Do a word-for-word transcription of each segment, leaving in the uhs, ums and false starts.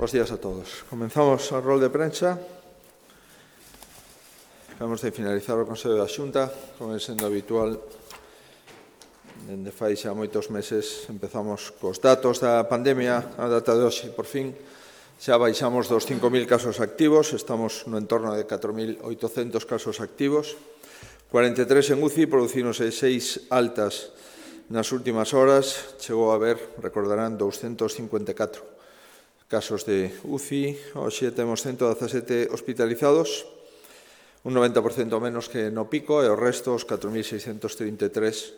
Bos días a todos. Comenzamos a rol de prensa. Acabamos de finalizar o Consello da Xunta, como é sendo habitual. Dende fai xa moitos meses empezamos cos datos da pandemia. A data de hoxe, por fin, xa baixamos dos cinco mil casos activos. Estamos no entorno de catro mil oitocentos casos activos. cuarenta e tres en U C I, producíronse seis altas nas últimas horas. Chegou a haber, recordarán, doscientos cincuenta e catro casos de U C I. Hoxe temos ciento dezasete hospitalizados, un noventa por cento menos que no pico, e os restos, catro mil seiscentos trinta e tres,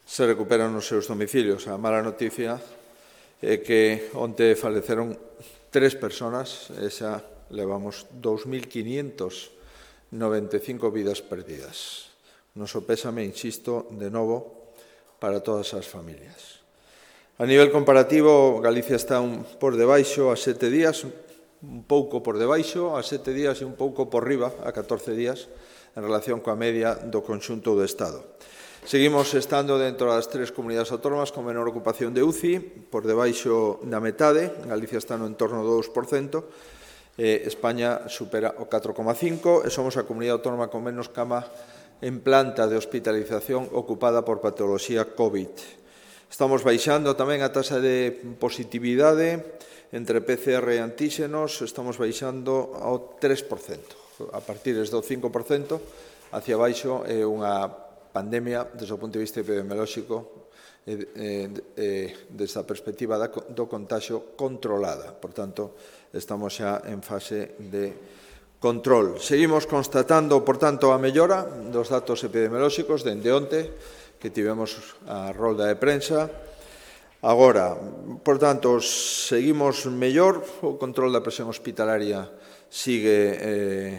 se recuperan nos seus domicilios. A mala noticia é que onte faleceron tres personas e xa levamos dous mil quinientos noventa e cinco vidas perdidas. Noso pésame, insisto, de novo, para todas as familias. A nivel comparativo, Galicia está un por debaixo a sete días, un pouco por debaixo a sete días e un pouco por riba a catorce días en relación coa media do conxunto do Estado. Seguimos estando dentro das tres comunidades autónomas con menor ocupación de U C I, por debaixo da metade. Galicia está no entorno do dous por cento, eh, España supera o catro coma cinco por cento e somos a comunidade autónoma con menos cama en planta de hospitalización ocupada por patoloxía COVID. Estamos baixando tamén a taxa de positividade entre P C R e antíxenos, estamos baixando ao tres por cento. A partir do cinco por cento hacia baixo é unha pandemia desde o punto de vista epidemiolóxico e, e, e desde a perspectiva do contagio controlada. Por tanto, estamos xa en fase de control. Seguimos constatando, por tanto, a mellora dos datos epidemiolóxicos dende onte, que tivemos a rolda de prensa. Agora, por tanto, seguimos mellor, o control da presión hospitalaria sigue eh,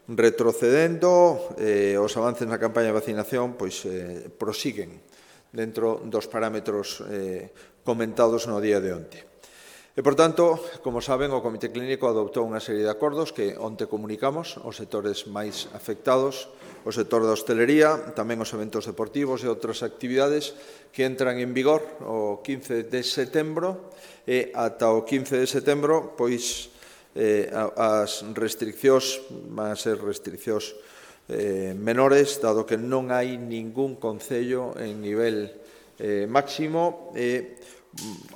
retrocedendo, eh, os avances na campaña de vacinación pois, eh, prosiguen dentro dos parámetros eh, comentados no día de onte. E, por tanto, como saben, o Comité Clínico adoptou unha serie de acordos que onte comunicamos aos sectores máis afectados, o sector da hostelería, tamén os eventos deportivos e outras actividades que entran en vigor o quince de setembro e ata o quince de setembro, pois, eh, as restriccións van a ser restriccións eh, menores, dado que non hai ningún concello en nivel eh, máximo e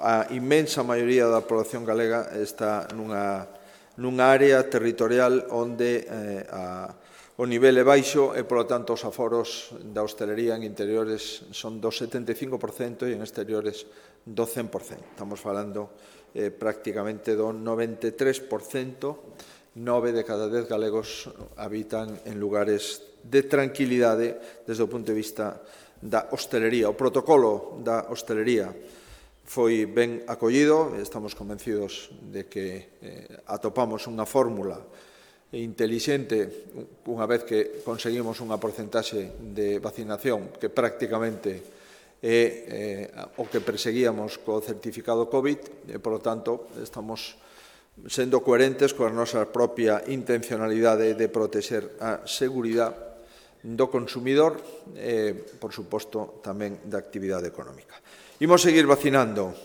a inmensa maioría da población galega está nunha, nunha área territorial onde eh, a, o nivel é baixo e, polo tanto, os aforos da hostelería en interiores son do setenta e cinco por cento e en exteriores do cen por cento. Estamos falando eh, prácticamente do noventa e tres por cento, nove de cada dez galegos habitan en lugares de tranquilidade desde o punto de vista da hostelería. O protocolo da hostelería foi ben acollido, estamos convencidos de que eh, atopamos unha fórmula intelixente unha vez que conseguimos unha porcentaxe de vacinación que prácticamente é eh, o que perseguíamos co certificado COVID e, por lo tanto, estamos sendo coherentes coa nosa propia intencionalidade de protexer a seguridade do consumidor e, por suposto, tamén da actividade económica. Imos seguir vacinando.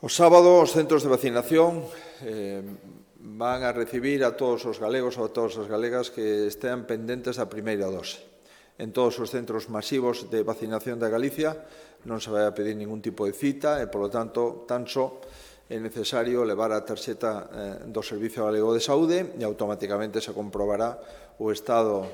O sábado os centros de vacinación eh, van a recibir a todos os galegos ou a todas as galegas que estean pendentes da primeira dose. En todos os centros masivos de vacinación da Galicia non se vai a pedir ningún tipo de cita e, polo tanto, tan só é necesario levar a tarxeta eh, do Servicio Galego de Saúde e automáticamente se comprobará o estado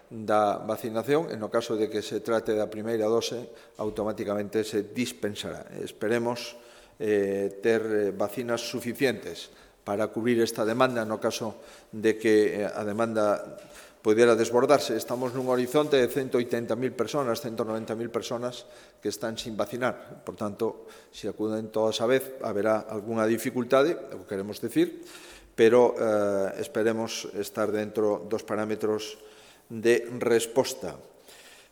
da vacinación. En no caso de que se trate da primeira dose, automáticamente se dispensará. Esperemos eh, ter eh, vacinas suficientes para cubrir esta demanda no caso de que eh, a demanda pudera desbordarse. Estamos nun horizonte de ciento oitenta mil personas, ciento noventa mil personas que están sin vacinar. Por tanto, se acuden todas a vez, haberá algunha dificultade, o queremos decir, pero eh, esperemos estar dentro dos parámetros de resposta.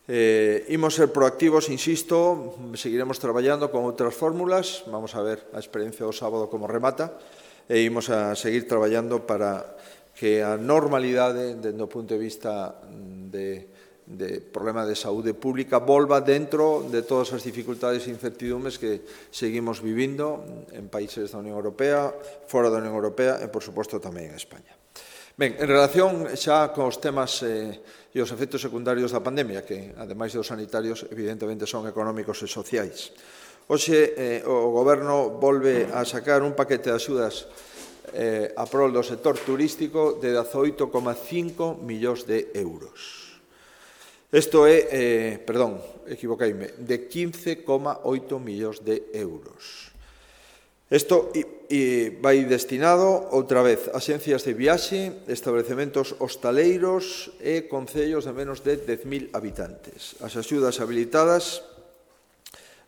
Eh, imos ser proactivos, insisto, seguiremos traballando con outras fórmulas, vamos a ver a experiencia do sábado como remata, e imos a seguir traballando para que a normalidade, dende o punto de vista de de problema de saúde pública volva dentro de todas as dificultades e incertidumbres que seguimos vivindo en países da Unión Europea, fora da Unión Europea e, por suposto, tamén en España. Ben, en relación xa cos temas eh, e os efectos secundarios da pandemia, que, ademais dos sanitarios, evidentemente son económicos e sociais. Hoxe, eh, o Goberno volve a sacar un paquete de axudas eh, a prol do sector turístico de dezaoito coma cinco millóns de euros. Isto é, eh, perdón, equivocaime, de quince coma oito millóns de euros. Isto vai destinado, outra vez, a axencias de viaxe, establecementos hostaleiros e concellos de menos de dez mil habitantes. As axudas habilitadas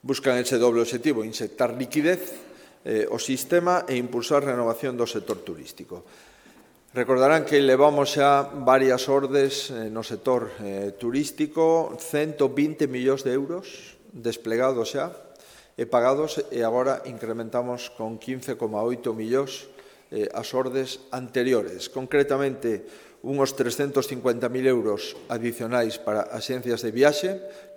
buscan ese doble obxectivo, inyectar liquidez eh, o sistema e impulsar a renovación do sector turístico. Recordarán que levamos xa varias ordes eh, no sector eh, turístico, ciento vinte millóns de euros desplegados xa e pagados, e agora incrementamos con quince coma oito millóns eh, as ordes anteriores. Concretamente, unhos trescentos cincuenta mil euros adicionais para axencias de viaxe,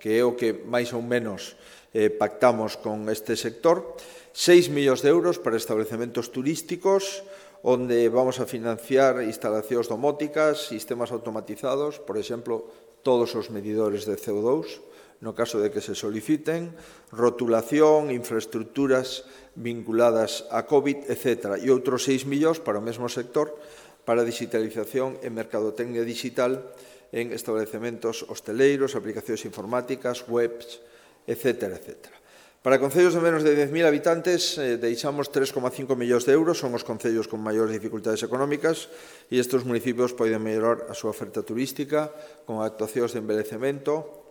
que é o que máis ou menos eh, pactamos con este sector, seis millóns de euros para establecementos turísticos, onde vamos a financiar instalacións domóticas, sistemas automatizados, por exemplo, todos os medidores de C O dous, no caso de que se soliciten, rotulación, infraestructuras vinculadas a COVID, etcétera. E outros seis millóns para o mesmo sector, para digitalización e mercadotecnia digital en establecementos hosteleiros, aplicacións informáticas, webs, etcétera, etcétera. Para concellos de menos de dez mil habitantes, eh, deixamos tres coma cinco millóns de euros, son os concellos con maiores dificultades económicas, e estes municipios poden mellorar a súa oferta turística con actuacións de envelhecemento,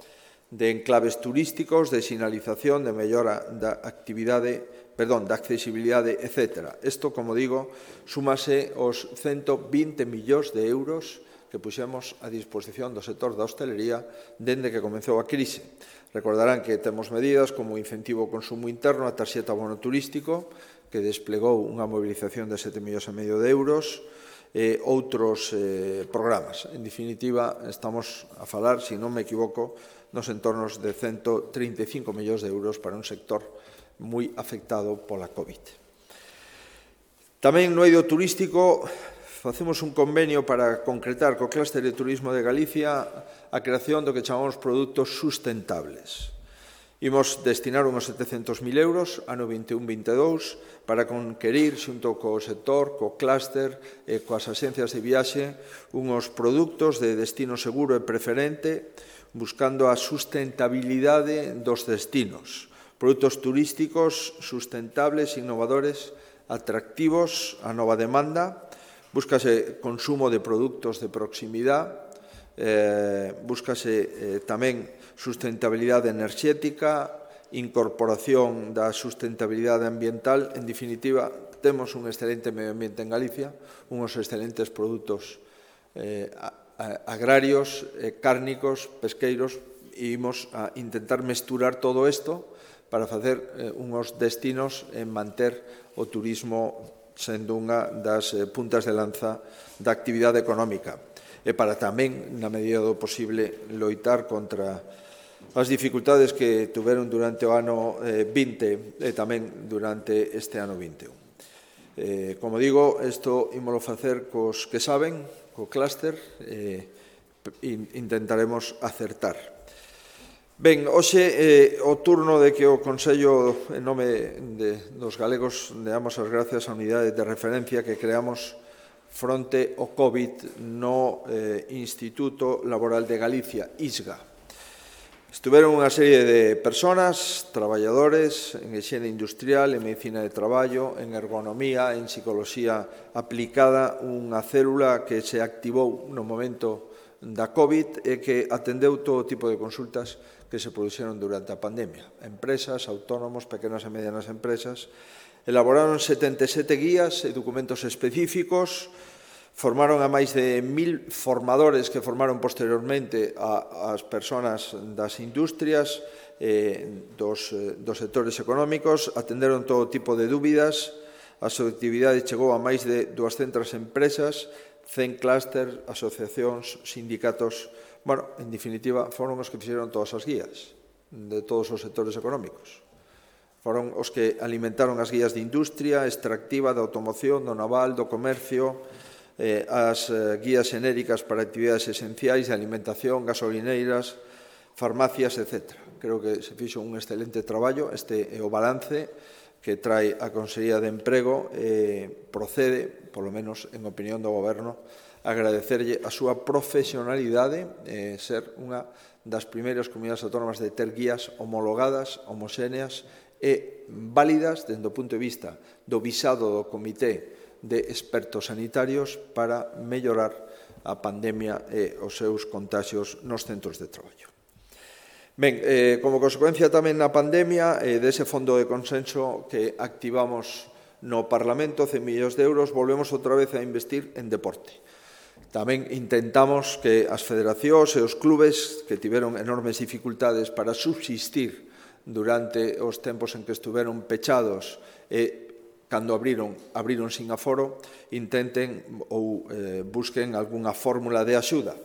de enclaves turísticos, de sinalización, de mellora da actividade, perdón, da accesibilidade, etcétera. Isto, como digo, súmase aos ciento vinte millóns de euros que puxemos a disposición do sector da hostelería dende que comezou a crise. Recordarán que temos medidas como o incentivo ao consumo interno, a tarxeta bono turístico, que desplegou unha mobilización de sete millóns e medio de euros, e outros eh, programas. En definitiva, estamos a falar, se non me equivoco, nos entornos de ciento trinta e cinco millóns de euros para un sector moi afectado pola COVID. Tamén no eido turístico facemos un convenio para concretar co clúster de turismo de Galicia a creación do que chamamos produtos sustentables. Imos destinar unhos setecentos mil euros ano vinte e un vinte e dous para conquerir, xunto co sector, co clúster e coas axencias de viaxe, unhos produtos de destino seguro e preferente, buscando a sustentabilidade dos destinos. Produtos turísticos sustentables, innovadores, atractivos a nova demanda. Búscase consumo de produtos de proximidade, eh, búscase eh, tamén sustentabilidade enerxética, incorporación da sustentabilidade ambiental. En definitiva, temos un excelente medio ambiente en Galicia, unhos excelentes produtos eh, agrarios, eh, cárnicos, pesqueiros, e imos a intentar mesturar todo isto para facer eh, unhos destinos en manter o turismo sendo unha das eh, puntas de lanza da actividade económica, e para tamén, na medida do posible, loitar contra as dificultades que tuveron durante o ano eh, vinte e tamén durante este ano vinte e un. Eh, como digo, isto ímolo facer cos que saben, co clúster, eh, intentaremos acertar. Ben, hoxe eh, o turno de que o Consello, en nome de, dos galegos, deamos as gracias á unidade de referencia que creamos fronte ao COVID no eh, Instituto Laboral de Galicia, I S G A. Estuveron unha serie de personas, traballadores, en higiene industrial, en medicina de traballo, en ergonomía, en psicología aplicada, unha célula que se activou no momento da COVID e que atendeu todo tipo de consultas que se produxeron durante a pandemia. Empresas, autónomos, pequenas e medianas empresas. Elaboraron setenta e sete guías e documentos específicos, formaron a máis de mil formadores que formaron posteriormente as persoas das industrias, eh, dos, eh, dos sectores económicos, atenderon todo tipo de dúbidas, a súa actividade chegou a máis de doscientas empresas, cen clúster, asociacións, sindicatos Bueno, en definitiva, foron os que fixeron todas as guías de todos os sectores económicos. Foron os que alimentaron as guías de industria, extractiva, de automoción, do naval, do comercio, eh, as eh, guías xenéricas para actividades esenciais de alimentación, gasolineiras, farmacias, etcétera. Creo que se fixo un excelente traballo. Este é o balance que trae a Consellería de Emprego. Eh, procede, polo menos en opinión do Goberno, agradecerlle a súa profesionalidade, eh, ser unha das primeiras comunidades autónomas de ter guías homologadas, homoxéneas e válidas dende o punto de vista do visado do Comité de Expertos Sanitarios para mellorar a pandemia e os seus contaxios nos centros de traballo. Ben, eh, como consecuencia tamén na pandemia, eh, dese fondo de consenso que activamos no Parlamento, cen millóns de euros, volvemos outra vez a investir en deporte. Tamén intentamos que as federacións e os clubes que tiveron enormes dificultades para subsistir durante os tempos en que estuveron pechados e cando abriron, abriron sin aforo, intenten ou eh, busquen algunha fórmula de axuda.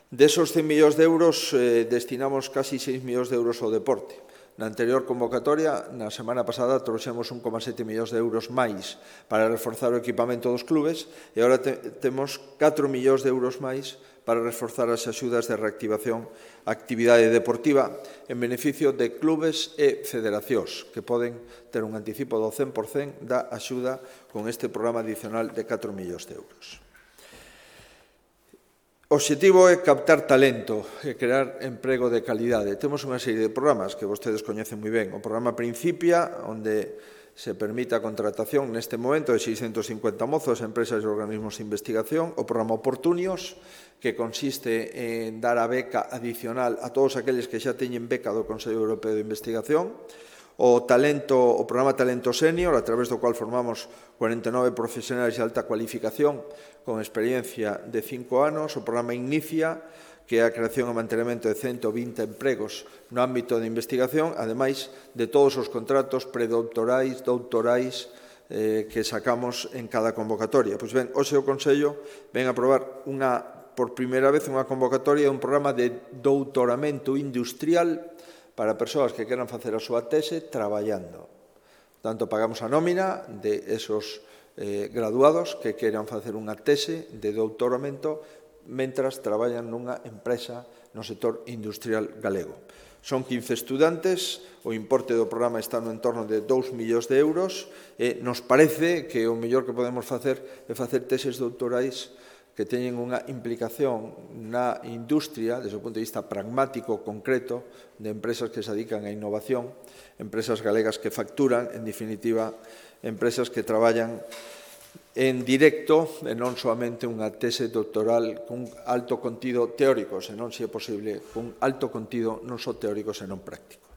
Desos cen millóns de euros, eh, destinamos casi seis millóns de euros ao deporte. Na anterior convocatoria, na semana pasada, trouxemos un coma sete millóns de euros máis para reforzar o equipamento dos clubes e agora te, temos catro millóns de euros máis para reforzar as axudas de reactivación á actividade deportiva en beneficio de clubes e federacións que poden ter un anticipo do cen por cento da axuda con este programa adicional de catro millóns de euros. O obxectivo é captar talento e crear emprego de calidade. Temos unha serie de programas que vostedes coñecen moi ben. O programa Principia, onde se permite a contratación neste momento de seiscentos cincuenta mozos, empresas e organismos de investigación. O programa Oportunios, que consiste en dar a beca adicional a todos aqueles que xa teñen beca do Consello Europeo de Investigación. O, talento, o programa Talento Senior, a través do cual formamos cuarenta e nove profesionais de alta cualificación con experiencia de cinco anos. O programa Inicia, que é a creación e mantenimento de ciento vinte empregos no ámbito de investigación, ademais de todos os contratos predoutorais, doutorais, eh, que sacamos en cada convocatoria. Pois ben, hoxe o Consello ven a aprobar unha, por primeira vez unha convocatoria de un programa de doutoramento industrial para persoas que queran facer a súa tese traballando. Tanto pagamos a nómina de esos eh, graduados que queran facer unha tese de doutoramento mentras traballan nunha empresa no sector industrial galego. Son quince estudantes, o importe do programa está no entorno de dous millóns de euros e nos parece que o mellor que podemos facer é facer teses doutorais que teñen unha implicación na industria, desde o punto de vista pragmático, concreto, de empresas que se dedican á innovación, empresas galegas que facturan, en definitiva, empresas que traballan en directo e non soamente unha tese doctoral con alto contido teórico, senón, se é posible, con alto contido non só teórico, senón práctico.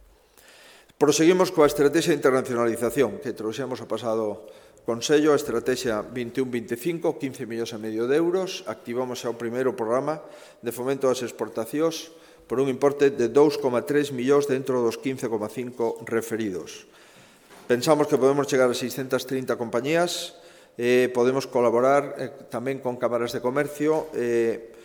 Proseguimos coa estrategia de internacionalización que trouxemos o pasado Consello, a estrategia veintiún veinticinco, quince millóns e medio de euros. Activamos xa o primeiro programa de fomento das exportacións por un importe de dous coma tres millóns dentro dos quince coma cinco referidos. Pensamos que podemos chegar a seiscentas trinta compañías, eh, podemos colaborar eh, tamén con cámaras de comercio, eh,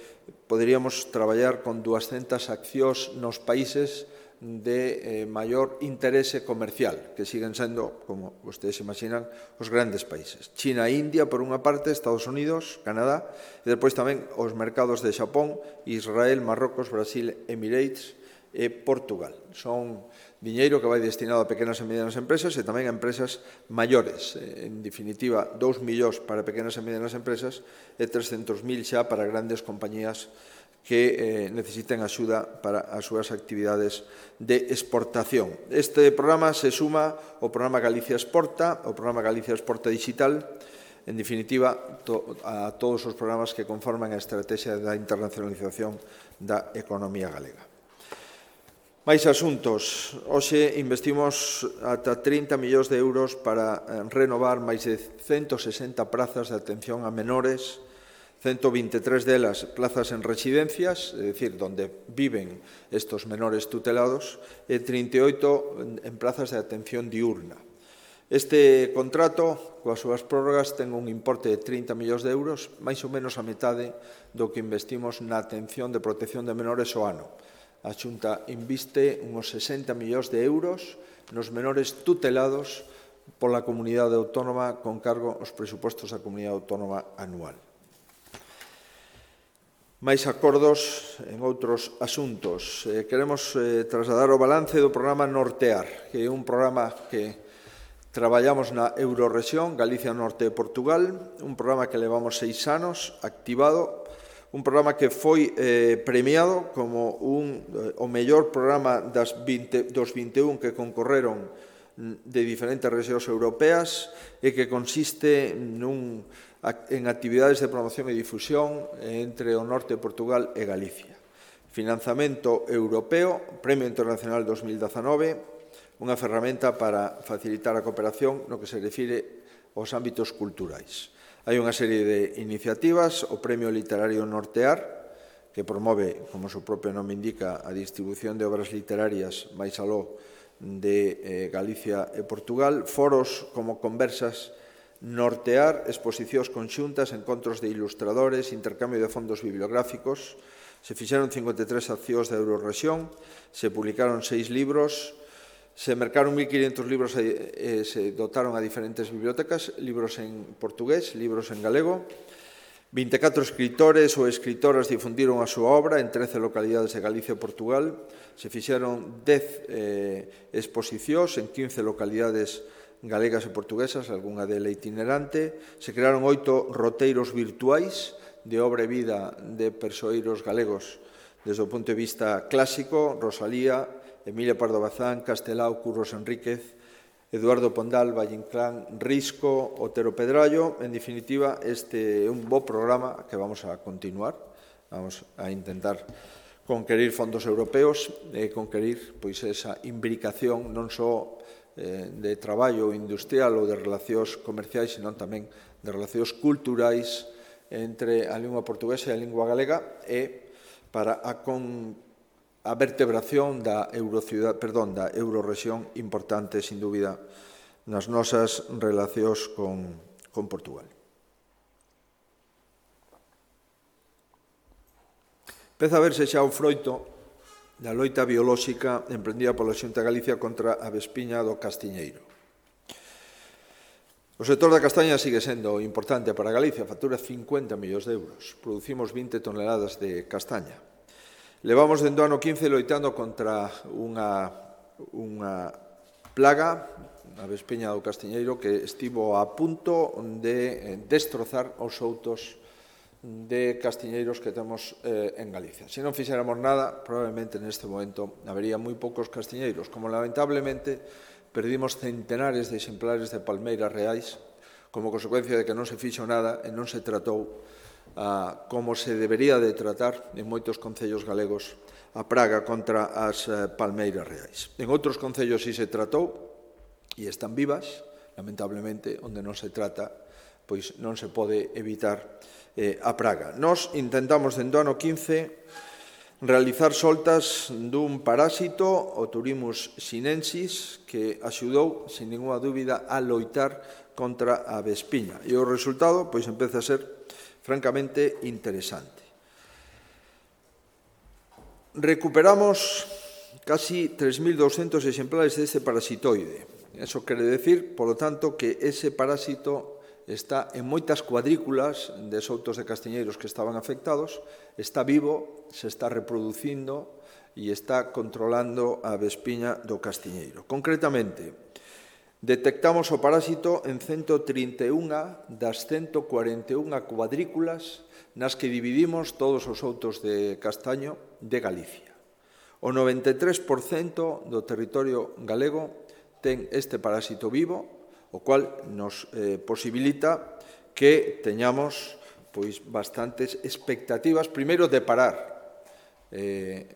poderíamos traballar con duascentas accións nos países de eh, maior interese comercial, que siguen sendo, como vostedes imaginan, os grandes países. China e India, por unha parte, Estados Unidos, Canadá, e depois tamén os mercados de Xapón, Israel, Marrocos, Brasil, Emirates e Portugal. Son diñeiro que vai destinado a pequenas e medianas empresas e tamén a empresas maiores. En definitiva, dous millóns para pequenas e medianas empresas e trescentos mil xa para grandes compañías que eh, necesiten axuda para as súas actividades de exportación. Este programa se suma ao programa Galicia Exporta, ao programa Galicia Exporta Digital, en definitiva, to, a todos os programas que conforman a estrategia da internacionalización da economía galega. Mais asuntos. Hoxe investimos ata trinta millóns de euros para renovar máis de ciento sesenta prazas de atención a menores, ciento veintitrés delas plazas en residencias, é dicir, donde viven estos menores tutelados, e trinta e oito en plazas de atención diurna. Este contrato, coas súas prórrogas, ten un importe de trinta millóns de euros, máis ou menos a metade do que investimos na atención de protección de menores o ano. A Xunta inviste uns sesenta millóns de euros nos menores tutelados pola comunidade autónoma con cargo aos presupostos da comunidade autónoma anual. Máis acordos en outros asuntos. Eh, queremos eh, trasladar o balance do programa Nortear, que é un programa que traballamos na Eurorrexión, Galicia, Norte de Portugal, un programa que levamos seis anos activado, un programa que foi eh, premiado como un, eh, o mellor programa das vinte, dos vinte e un que concorreron de diferentes rexións europeas e que consiste nun, en actividades de promoción e difusión entre o norte de Portugal e Galicia. Financiamento europeo, Premio Internacional dos mil dezanove, unha ferramenta para facilitar a cooperación no que se refire aos ámbitos culturais. Hai unha serie de iniciativas, o Premio Literario Nortear, que promove, como o seu propio nome indica, a distribución de obras literarias máis aló de eh, Galicia e Portugal, foros como Conversas Nortear, exposicións conxuntas, encontros de ilustradores, intercambio de fondos bibliográficos. Se fixeron cincuenta e tres accións da Eurorrexión, se publicaron seis libros, se mercaron mil quinhentos libros e se dotaron a diferentes bibliotecas, libros en portugués, libros en galego. vinte e catro escritores ou escritoras difundiron a súa obra en trece localidades de Galicia e Portugal. Se fixeron dez eh, exposicións en quince localidades galegas e portuguesas, algunha dela itinerante. Se crearon oito roteiros virtuais de obra e vida de persoeiros galegos desde o punto de vista clásico, Rosalía, Emilia Pardo Bazán, Castelao, Curros Enríquez, Eduardo Pondal, Valle Inclán, Risco, Otero Pedrallo. En definitiva, este é un bo programa que vamos a continuar. Vamos a intentar conquerir fondos europeos e conquerir pois, esa imbricación non só eh, de traballo industrial ou de relacións comerciais, senón tamén de relacións culturais entre a lingua portuguesa e a lingua galega e para a con a vertebración da, Eurociudad, perdón, da Eurorrexión importante, sin dúbida, nas nosas relacións con, con Portugal. Empeza a verse xa o froito da loita biolóxica emprendida pola Xunta de Galicia contra a vespiña do castiñeiro. O sector da castaña sigue sendo importante para Galicia, factura cincuenta millóns de euros. Producimos vinte toneladas de castaña. Levamos dende o ano quince loitando contra unha, unha plaga, a vespiña do castiñeiro, que estivo a punto de destrozar os outos de castiñeiros que temos eh, en Galicia. Se non fixéramos nada, probablemente neste momento habería moi poucos castiñeiros. Como lamentablemente perdimos centenares de exemplares de palmeiras reais como consecuencia de que non se fixo nada e non se tratou a como se debería de tratar en moitos concellos galegos a praga contra as palmeiras reais. En outros concellos si se tratou e están vivas, lamentablemente, onde non se trata, pois non se pode evitar eh, a praga. Nos intentamos, dende o ano quince, realizar soltas dun parásito, o Turimus sinensis, que axudou, sin ninguna dúbida, a loitar contra a vespiña. E o resultado, pois, empeza a ser francamente interesante. Recuperamos casi tres mil doscientos exemplares deste parasitoide. Eso quere decir, polo tanto, que ese parásito está en moitas cuadrículas de soutos de castiñeiros que estaban afectados, está vivo, se está reproducindo e está controlando a vespiña do castiñeiro. Concretamente, detectamos o parásito en ciento trinta e unha das ciento cuarenta e unha cuadrículas nas que dividimos todos os outos de castaño de Galicia. O noventa e tres por cento do territorio galego ten este parásito vivo, o cual nos eh, posibilita que teñamos pois, bastantes expectativas, primeiro de parar eh,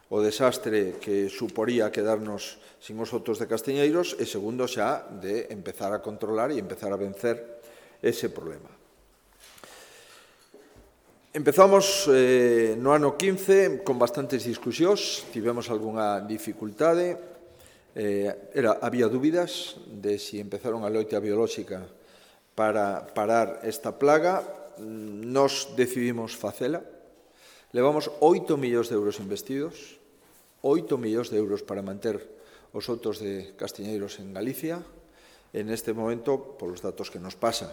o desastre que suporía quedarnos sin os outos de castiñeiros e, segundo, xa de empezar a controlar e empezar a vencer ese problema. Empezamos eh, no ano quince con bastantes discusións, tivemos algunha dificultade Eh, era, había dúbidas de si empezaron a loita biolóxica para parar esta plaga. Nos decidimos facela. Levamos oito millóns de euros investidos, oito millóns de euros para manter os outos de castiñeiros en Galicia. En este momento, polos datos que nos pasa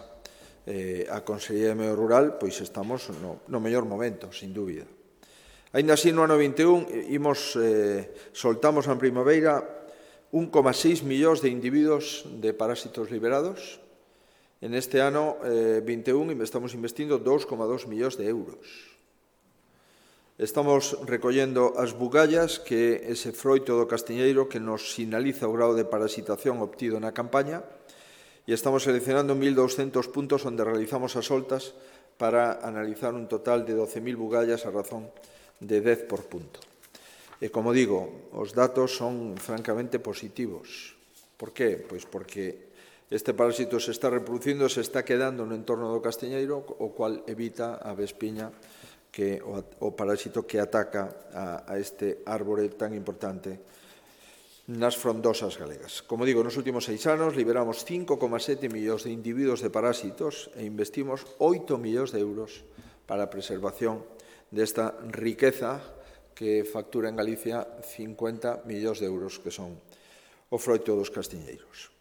eh, a Consellería de Medio Rural, pois estamos no, no mellor momento, sin dúbida. Ainda así, no ano vinte e un, imos, eh, soltamos en primavera un coma seis millóns de individuos de parásitos liberados. En este ano eh, vinte e un estamos investindo dous coma dous millóns de euros. Estamos recollendo as bugallas, que é ese froito do castiñeiro que nos sinaliza o grado de parasitación obtido na campaña, e estamos seleccionando mil douscentos puntos onde realizamos as soltas para analizar un total de doce mil bugallas a razón de dez por punto. E, como digo, os datos son francamente positivos. Por qué? Pois porque este parásito se está reproducindo, se está quedando no entorno do castiñeiro, o cual evita a vespiña, que o, o parásito que ataca a, a este árbore tan importante nas frondosas galegas. Como digo, nos últimos seis anos liberamos cinco coma sete millóns de individuos de parásitos e investimos oito millóns de euros para a preservación desta riqueza que factura en Galicia cincuenta millóns de euros, que son o froito dos castiñeiros.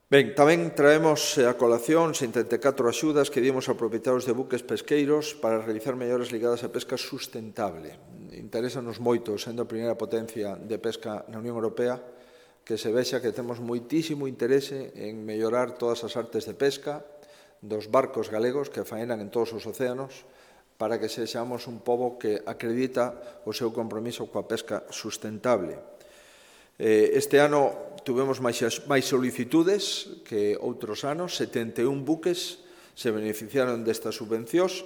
Ben, tamén traemos a colación setenta e catro axudas que dimos a propietarios de buques pesqueiros para realizar melloras ligadas á pesca sustentable. Interésanos moito, sendo a primeira potencia de pesca na Unión Europea, que se vexa que temos moitísimo interese en mellorar todas as artes de pesca dos barcos galegos que faenan en todos os océanos, para que sexamos un pobo que acredita o seu compromiso coa pesca sustentable. Este ano tuvemos máis solicitudes que outros anos. setenta e un buques se beneficiaron destas subvencións,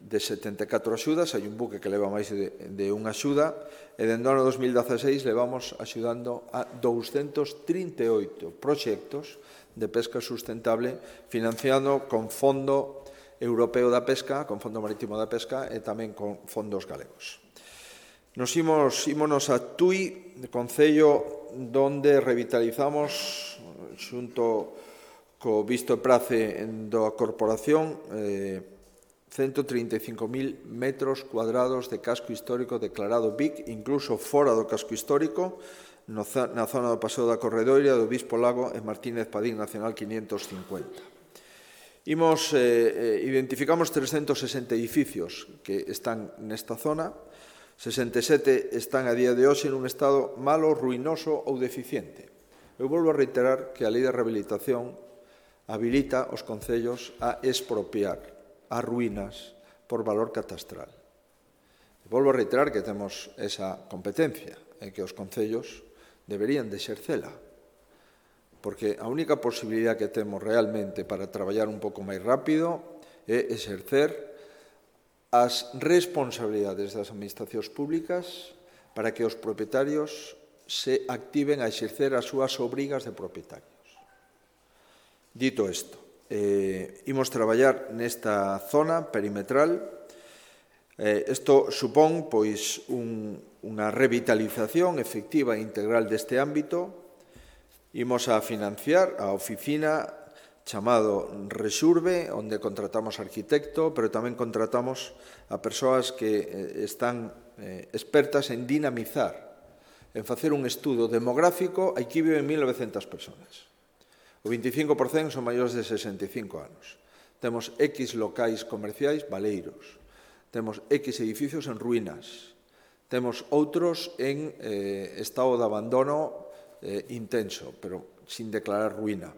de setenta e catro axudas. Hai un buque que leva máis de, de unha axuda, e dende o ano dos mil dezaseis levamos axudando a douscentos trinta e oito proxectos de pesca sustentable, financiando con Fondo Europeo da Pesca, con Fondo Marítimo da Pesca e tamén con fondos galegos. Nos imos, ímonos a Tui, concello donde revitalizamos, xunto co visto e prace da corporación, eh, ciento trinta e cinco mil metros cuadrados de casco histórico declarado B I C, incluso fora do casco histórico, no, na zona do Paseo da Corredoira, do Bispo Lago e Martínez Padín Nacional quinientos cincuenta. Imos, eh, identificamos trescentos sesenta edificios que están nesta zona, sesenta e sete están a día de hoxe nun estado malo, ruinoso ou deficiente. Eu volvo a reiterar que a Lei de Rehabilitación habilita os concellos a expropiar as ruínas por valor catastral. Volvo a reiterar que temos esa competencia e que os concellos deberían de exercela, porque a única posibilidad que temos realmente para traballar un pouco máis rápido é exercer as responsabilidades das administracións públicas para que os propietarios se activen a exercer as súas obrigas de propietarios. Dito isto, eh, imos traballar nesta zona perimetral. Isto eh, supón pois, un, unha revitalización efectiva e integral deste ámbito. Imos a financiar a oficina chamado Resurbe, onde contratamos arquitecto, pero tamén contratamos a persoas que están expertas en dinamizar, en facer un estudo demográfico. Aquí viven mil novecentas persoas. O veinticinco por cento son maiores de sesenta e cinco anos. Temos X locais comerciais baleiros. Temos X edificios en ruínas. Temos outros en eh, estado de abandono Eh, intenso, pero sin declarar ruína.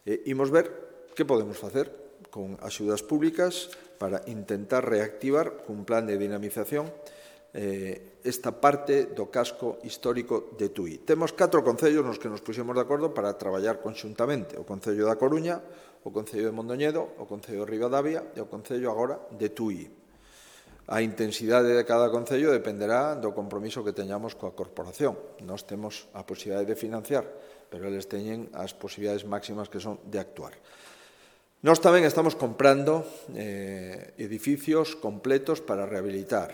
Eh, imos ver que podemos facer con axudas públicas para intentar reactivar cun plan de dinamización eh, esta parte do casco histórico de Tui. Temos catro concellos nos que nos puxemos de acordo para traballar conxuntamente: o Concello da Coruña, o Concello de Mondoñedo, o Concello de Ribadavia e o Concello agora de Tui. A intensidade de cada concello dependerá do compromiso que teñamos coa corporación. Nós temos a posibilidade de financiar, pero eles teñen as posibilidades máximas que son de actuar. Nós tamén estamos comprando eh, edificios completos para rehabilitar.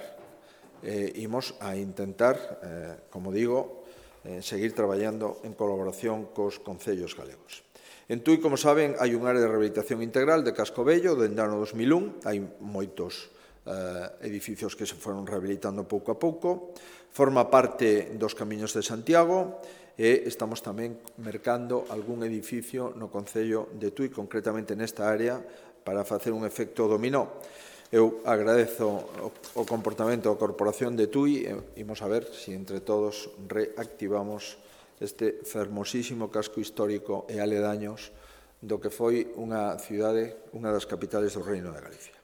Eh, imos a intentar, eh, como digo, eh, seguir traballando en colaboración cos concellos galegos. En Tui, como saben, hai un área de rehabilitación integral de Casco Vello dende ano dos mil un, hai moitos eh, edificios que se foron rehabilitando pouco a pouco, forma parte dos Camiños de Santiago e estamos tamén mercando algún edificio no Concello de Tui, concretamente nesta área, para facer un efecto dominó. Eu agradezo o comportamento da Corporación de Tui e imos a ver se entre todos reactivamos este fermosísimo casco histórico e aledaños do que foi unha cidade, unha das capitales do Reino de Galicia.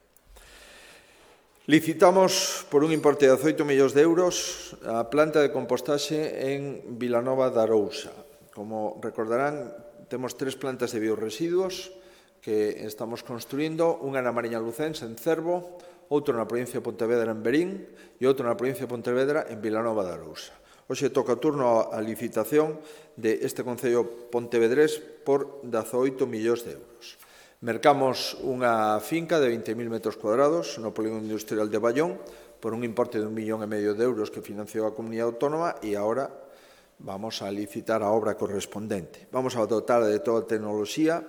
Licitamos por un importe de dezoito millóns de euros a planta de compostaxe en Vilanova de Arousa. Como recordarán, temos tres plantas de biorresiduos que estamos construindo, unha na Mariña Lucense, en Cervo, outra na provincia de Pontevedra, en Berín, e outra na provincia de Pontevedra, en Vilanova de Arousa. Hoxe toca turno a licitación de este Concello pontevedrés por dezoito millóns de euros. Mercamos unha finca de veinte mil metros cuadrados no polígono industrial de Ballón por un importe de un millón e medio de euros que financiou a Comunidade Autónoma e agora vamos a licitar a obra correspondente. Vamos a dotar de toda a tecnoloxía,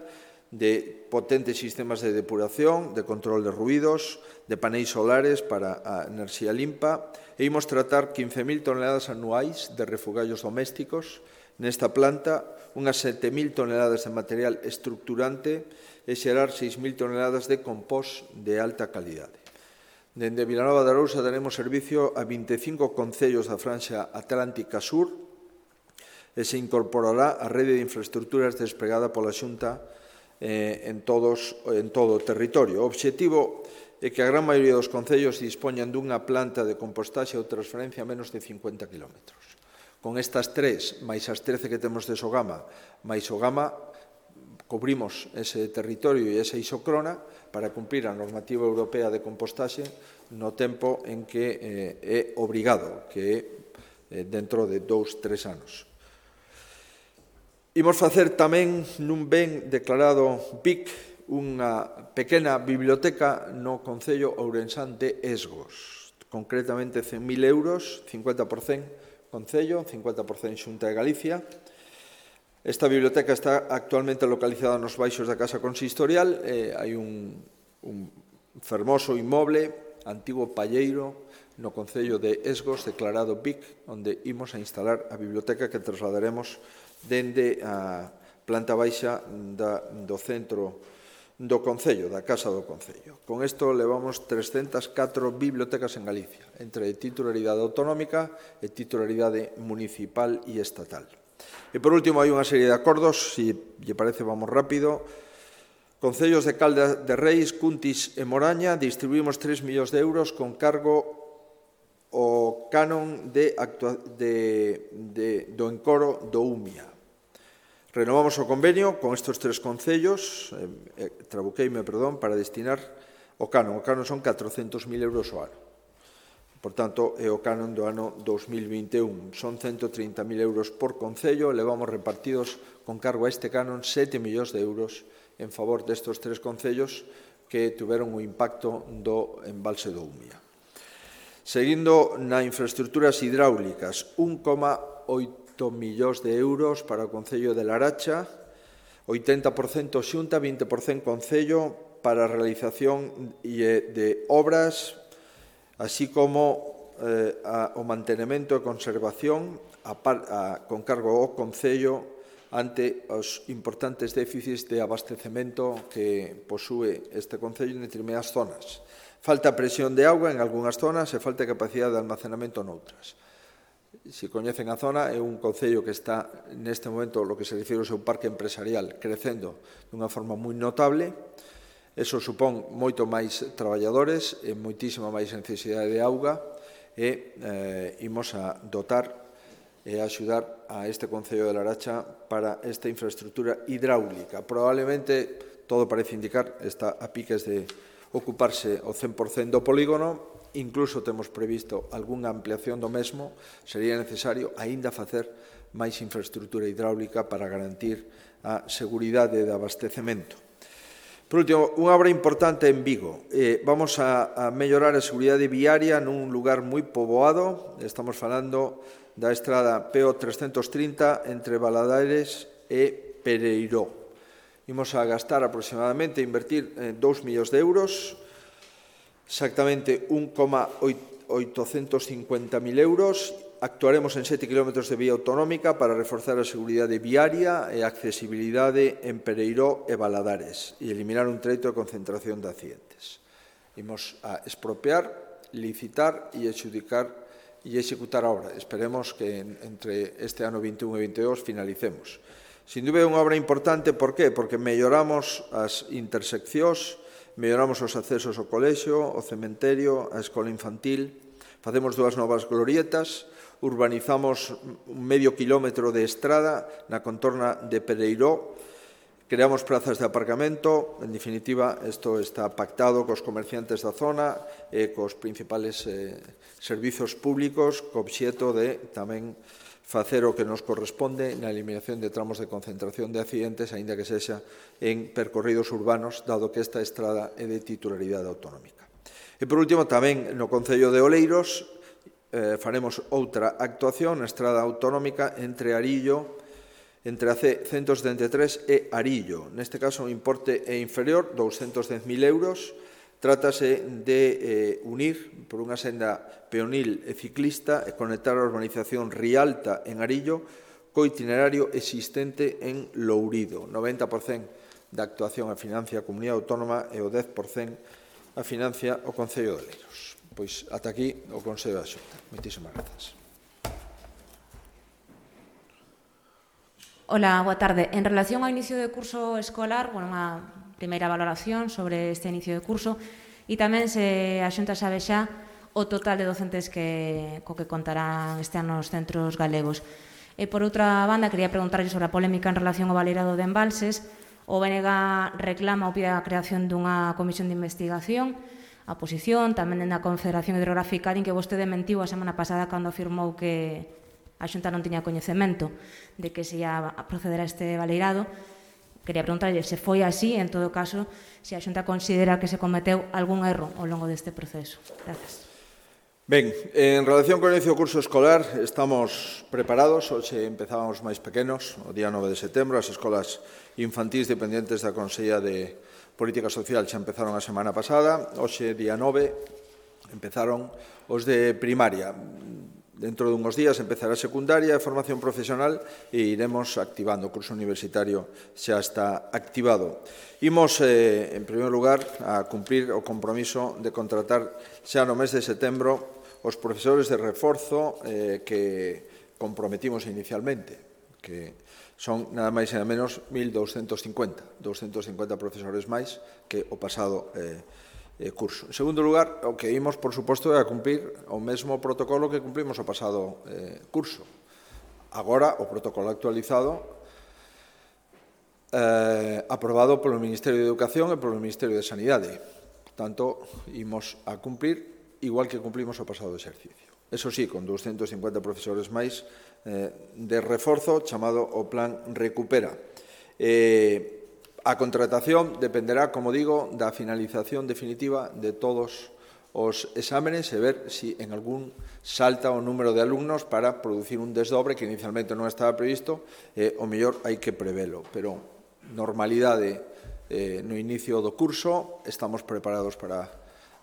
de potentes sistemas de depuración, de control de ruídos, de paneis solares para a enerxía limpa e imos tratar quince mil toneladas anuais de refugallos domésticos nesta planta, unhas sete mil toneladas de material estructurante e xerar seis mil toneladas de compós de alta calidade. Dende Vilanova de Arousa daremos servicio a vinte e cinco concellos da franxa atlántica sur e se incorporará a rede de infraestructuras desplegada pola Xunta eh, en, todos, en todo o territorio. O obxectivo é que a gran maioría dos concellos dispoñan dunha planta de compostaxe ou transferencia a menos de cincuenta kilómetros. Con estas tres, máis as trece que temos de Sogama, máis Sogama, cubrimos ese territorio e esa isocrona para cumprir a normativa europea de compostaxe no tempo en que eh, é obrigado, que é eh, dentro de dous, tres anos. Imos facer tamén nun ben declarado B I C unha pequena biblioteca no Concello ourensán de Esgos, concretamente cen mil euros, cincuenta por cento Concello, cincuenta por cento Xunta de Galicia. Esta biblioteca está actualmente localizada nos baixos da Casa Consistorial, eh, hai un, un fermoso inmoble, antigo palleiro, no Concello de Esgos, declarado B I C, onde imos a instalar a biblioteca que trasladaremos dende a planta baixa da, do centro do Concello, da Casa do Concello. Con isto levamos trescentas e catro bibliotecas en Galicia, entre titularidade autonómica e titularidade municipal e estatal. E por último, hai unha serie de acordos, se lle parece vamos rápido. Concellos de Caldas de Reis, Cuntis e Moraña, distribuímos tres millóns de euros con cargo o canon de, de, de, do encoro do Umia. Renovamos o convenio con estes tres concellos, eh, trabuqueime, perdón, para destinar o canon. O canon son catrocentos mil euros ao ano. Por tanto, é o canon do ano dos mil vinte e un. Son ciento trinta mil euros por concello. Levamos repartidos con cargo a este canon sete millóns de euros en favor destes tres concellos que tiveron o impacto do embalse do Umia. Seguindo na infraestructuras hidráulicas, un coma oito millóns de euros para o Concello de Laracha, oitenta por cento Xunta, vinte por cento Concello para a realización de obras, así como eh, a, o mantenemento e conservación a, a, con cargo ao Concello ante os importantes déficits de abastecemento que posúe este Concello en determinadas zonas. Falta presión de auga en algunhas zonas e falta capacidade de almacenamento noutras. Se coñecen a zona, é un concello que está neste momento, lo que se refire ao seu parque empresarial, crecendo dunha forma moi notable. Eso supón moito máis traballadores e moitísima máis necesidade de auga e eh, imos a dotar e a axudar a este Concello de Laracha para esta infraestructura hidráulica. Probablemente, todo parece indicar, está a piques de ocuparse o cen por cento do polígono. Incluso temos previsto algunha ampliación do mesmo, sería necesario aínda facer máis infraestructura hidráulica para garantir a seguridade de abastecemento. Por último, unha obra importante en Vigo. Eh, vamos a, a mellorar a seguridade viaria nun lugar moi poboado. Estamos falando da estrada P O trescentos trinta entre Valadares e Pereiró. Imos a gastar aproximadamente, invertir dous millóns de euros, exactamente un coma oitocentos cincuenta mil euros. Actuaremos en sete kilómetros de vía autonómica para reforzar a seguridade viaria e a accesibilidade en Pereiró e Valadares e eliminar un treito de concentración de accidentes. Imos a expropiar, licitar e adxudicar e executar a obra. Esperemos que entre este ano veintiún e veintidós finalicemos. Sin dúbida é unha obra importante, por qué? Porque melloramos as interseccións, melloramos os accesos ao colexio, ao cementerio, á escola infantil, facemos dúas novas glorietas, urbanizamos un medio kilómetro de estrada na contorna de Pereiró, creamos plazas de aparcamento. En definitiva, isto está pactado cos comerciantes da zona e cos principales eh, servizos públicos, co obxeto de tamén facer o que nos corresponde na eliminación de tramos de concentración de accidentes, aínda que sexa en percorridos urbanos, dado que esta estrada é de titularidade autonómica. E, por último, tamén no Concello de Oleiros eh, faremos outra actuación na estrada autonómica entre Arillo, entre a C ciento setenta e tres e Arillo. Neste caso, o importe é inferior, douscentos dez mil euros. Trátase de eh, unir por unha senda peonil e ciclista e conectar a urbanización Rialta en Arillo co itinerario existente en Lourido. noventa por cento da actuación a financia a Comunidade Autónoma e o dez por cento a financia o Concello de Oleiros. Pois ata aquí o Consello da Xunta. Moitísimas grazas. Ola, boa tarde. En relación ao inicio de curso escolar, bueno, unha primeira valoración sobre este inicio de curso e tamén se a Xunta sabe xa o total de docentes que, co que contarán este ano os centros galegos. E, por outra banda, quería preguntarlle sobre a polémica en relación ao baleirado de embalses. O B N G reclama ou pide a creación dunha comisión de investigación. A oposición, tamén na Confederación Hidrográfica, din que vostede mentiu a semana pasada cando afirmou que a Xunta non tiña coñecemento de que se ia a proceder a este baleirado. Quería preguntarlle se foi así, en todo caso, se a Xunta considera que se cometeu algún erro ao longo deste proceso. Gracias. Ben, en relación con o inicio do curso escolar, estamos preparados. Hoxe empezábamos máis pequenos, o día nove de setembro. As escolas infantís dependentes da Consellería de Política Social xa empezaron a semana pasada. Hoxe, día nove, empezaron os de primaria. Dentro de unhos días empezará a secundaria e formación profesional e iremos activando. O curso universitario xa está activado. Imos, eh, en primeiro lugar, a cumprir o compromiso de contratar xa no mes de setembro os profesores de reforzo eh, que comprometimos inicialmente, que son nada máis e nada menos mil douscentos cincuenta, douscentos cincuenta profesores máis que o pasado eh, eh, curso. En segundo lugar, o que imos, por suposto, é a cumprir o mesmo protocolo que cumplimos o pasado eh, curso. Agora, o protocolo actualizado eh, aprobado polo Ministerio de Educación e polo Ministerio de Sanidade. Por tanto, imos a cumprir igual que cumplimos o pasado exercicio. Eso sí, con douscentos cincuenta profesores máis eh, de reforzo, chamado o Plan Recupera. Eh, a contratación dependerá, como digo, da finalización definitiva de todos os exámenes e ver se si en algún salta o número de alumnos para producir un desdobre que inicialmente non estaba previsto, eh, o mellor hai que prevelo. Pero normalidade eh, no inicio do curso, estamos preparados para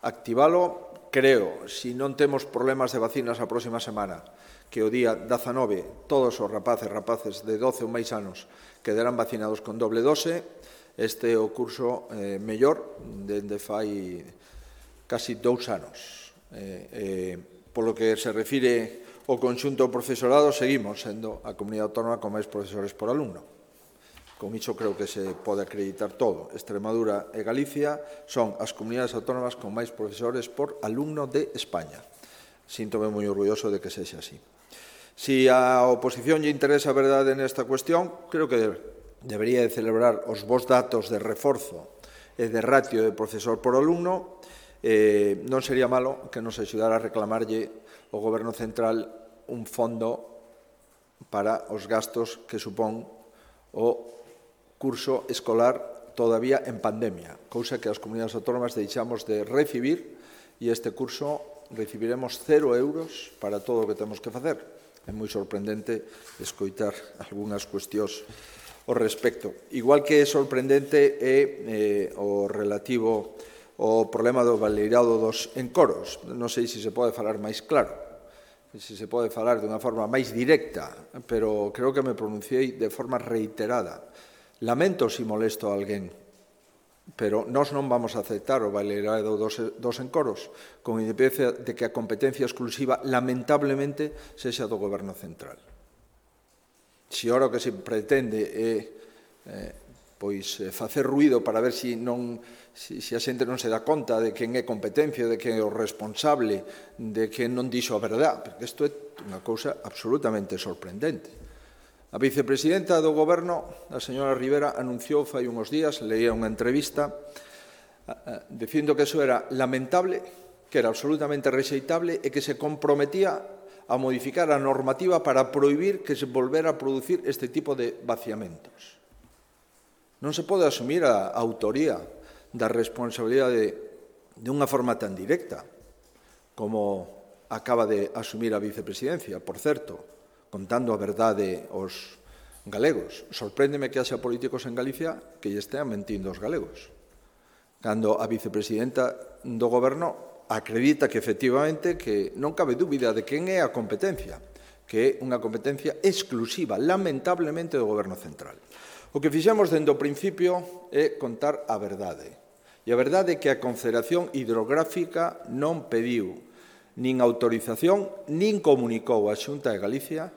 activalo. Creo, se non temos problemas de vacinas a próxima semana, que o día dezanove todos os rapaces rapaces de doce ou máis anos quedarán vacinados con doble dose. Este é o curso eh, mellor dende fai casi dous anos. Eh, eh, polo que se refire ao conxunto do profesorado, seguimos sendo a comunidade autónoma con máis profesores por alumno. Con iso creo que se pode acreditar todo. Extremadura e Galicia son as comunidades autónomas con máis profesores por alumno de España. Síntome moi orgulloso de que sexa así. Si a oposición lle interesa a verdade nesta cuestión, creo que debería de celebrar os bons datos de reforzo e de ratio de profesor por alumno. Eh, non sería malo que nos axudara a reclamarlle o Goberno Central un fondo para os gastos que supón o curso escolar todavía en pandemia, cousa que as comunidades autónomas deixamos de recibir e este curso recibiremos cero euros para todo o que temos que facer. é moi sorprendente escoitar algunhas cuestións ao respecto. Igual que é sorprendente é eh, o relativo ao problema do baleirado dos encoros. Non sei se se pode falar máis claro, se se pode falar de unha forma máis directa, pero creo que me pronunciei de forma reiterada. Lamento se molesto a alguén, pero nós non vamos a aceptar o baleirado dos, dos encoros, con independencia de que a competencia exclusiva, lamentablemente, sexa do Goberno central. Se ora o que se pretende é eh, pois, facer ruído para ver se non, se, se a xente non se dá conta de quen é competencia, de quen é o responsable, de quen non dixo a verdade, porque isto é unha cousa absolutamente sorprendente. A vicepresidenta do Goberno, a señora Rivera, anunciou fai uns días, leía unha entrevista, dicindo que eso era lamentable, que era absolutamente rexeitable e que se comprometía a modificar a normativa para prohibir que se volvera a producir este tipo de vaciamentos. Non se pode asumir a autoría da responsabilidade de unha forma tan directa como acaba de asumir a vicepresidencia, por certo, contando a verdade aos galegos. Sorpréndeme que haxa políticos en Galicia que lle estean mentindo aos galegos, cando a vicepresidenta do Goberno acredita que, efectivamente, que non cabe dúbida de quen é a competencia, que é unha competencia exclusiva, lamentablemente, do Goberno central. O que fixemos dende o principio é contar a verdade. E a verdade é que a Confederación Hidrográfica non pediu nin autorización, nin comunicou a Xunta de Galicia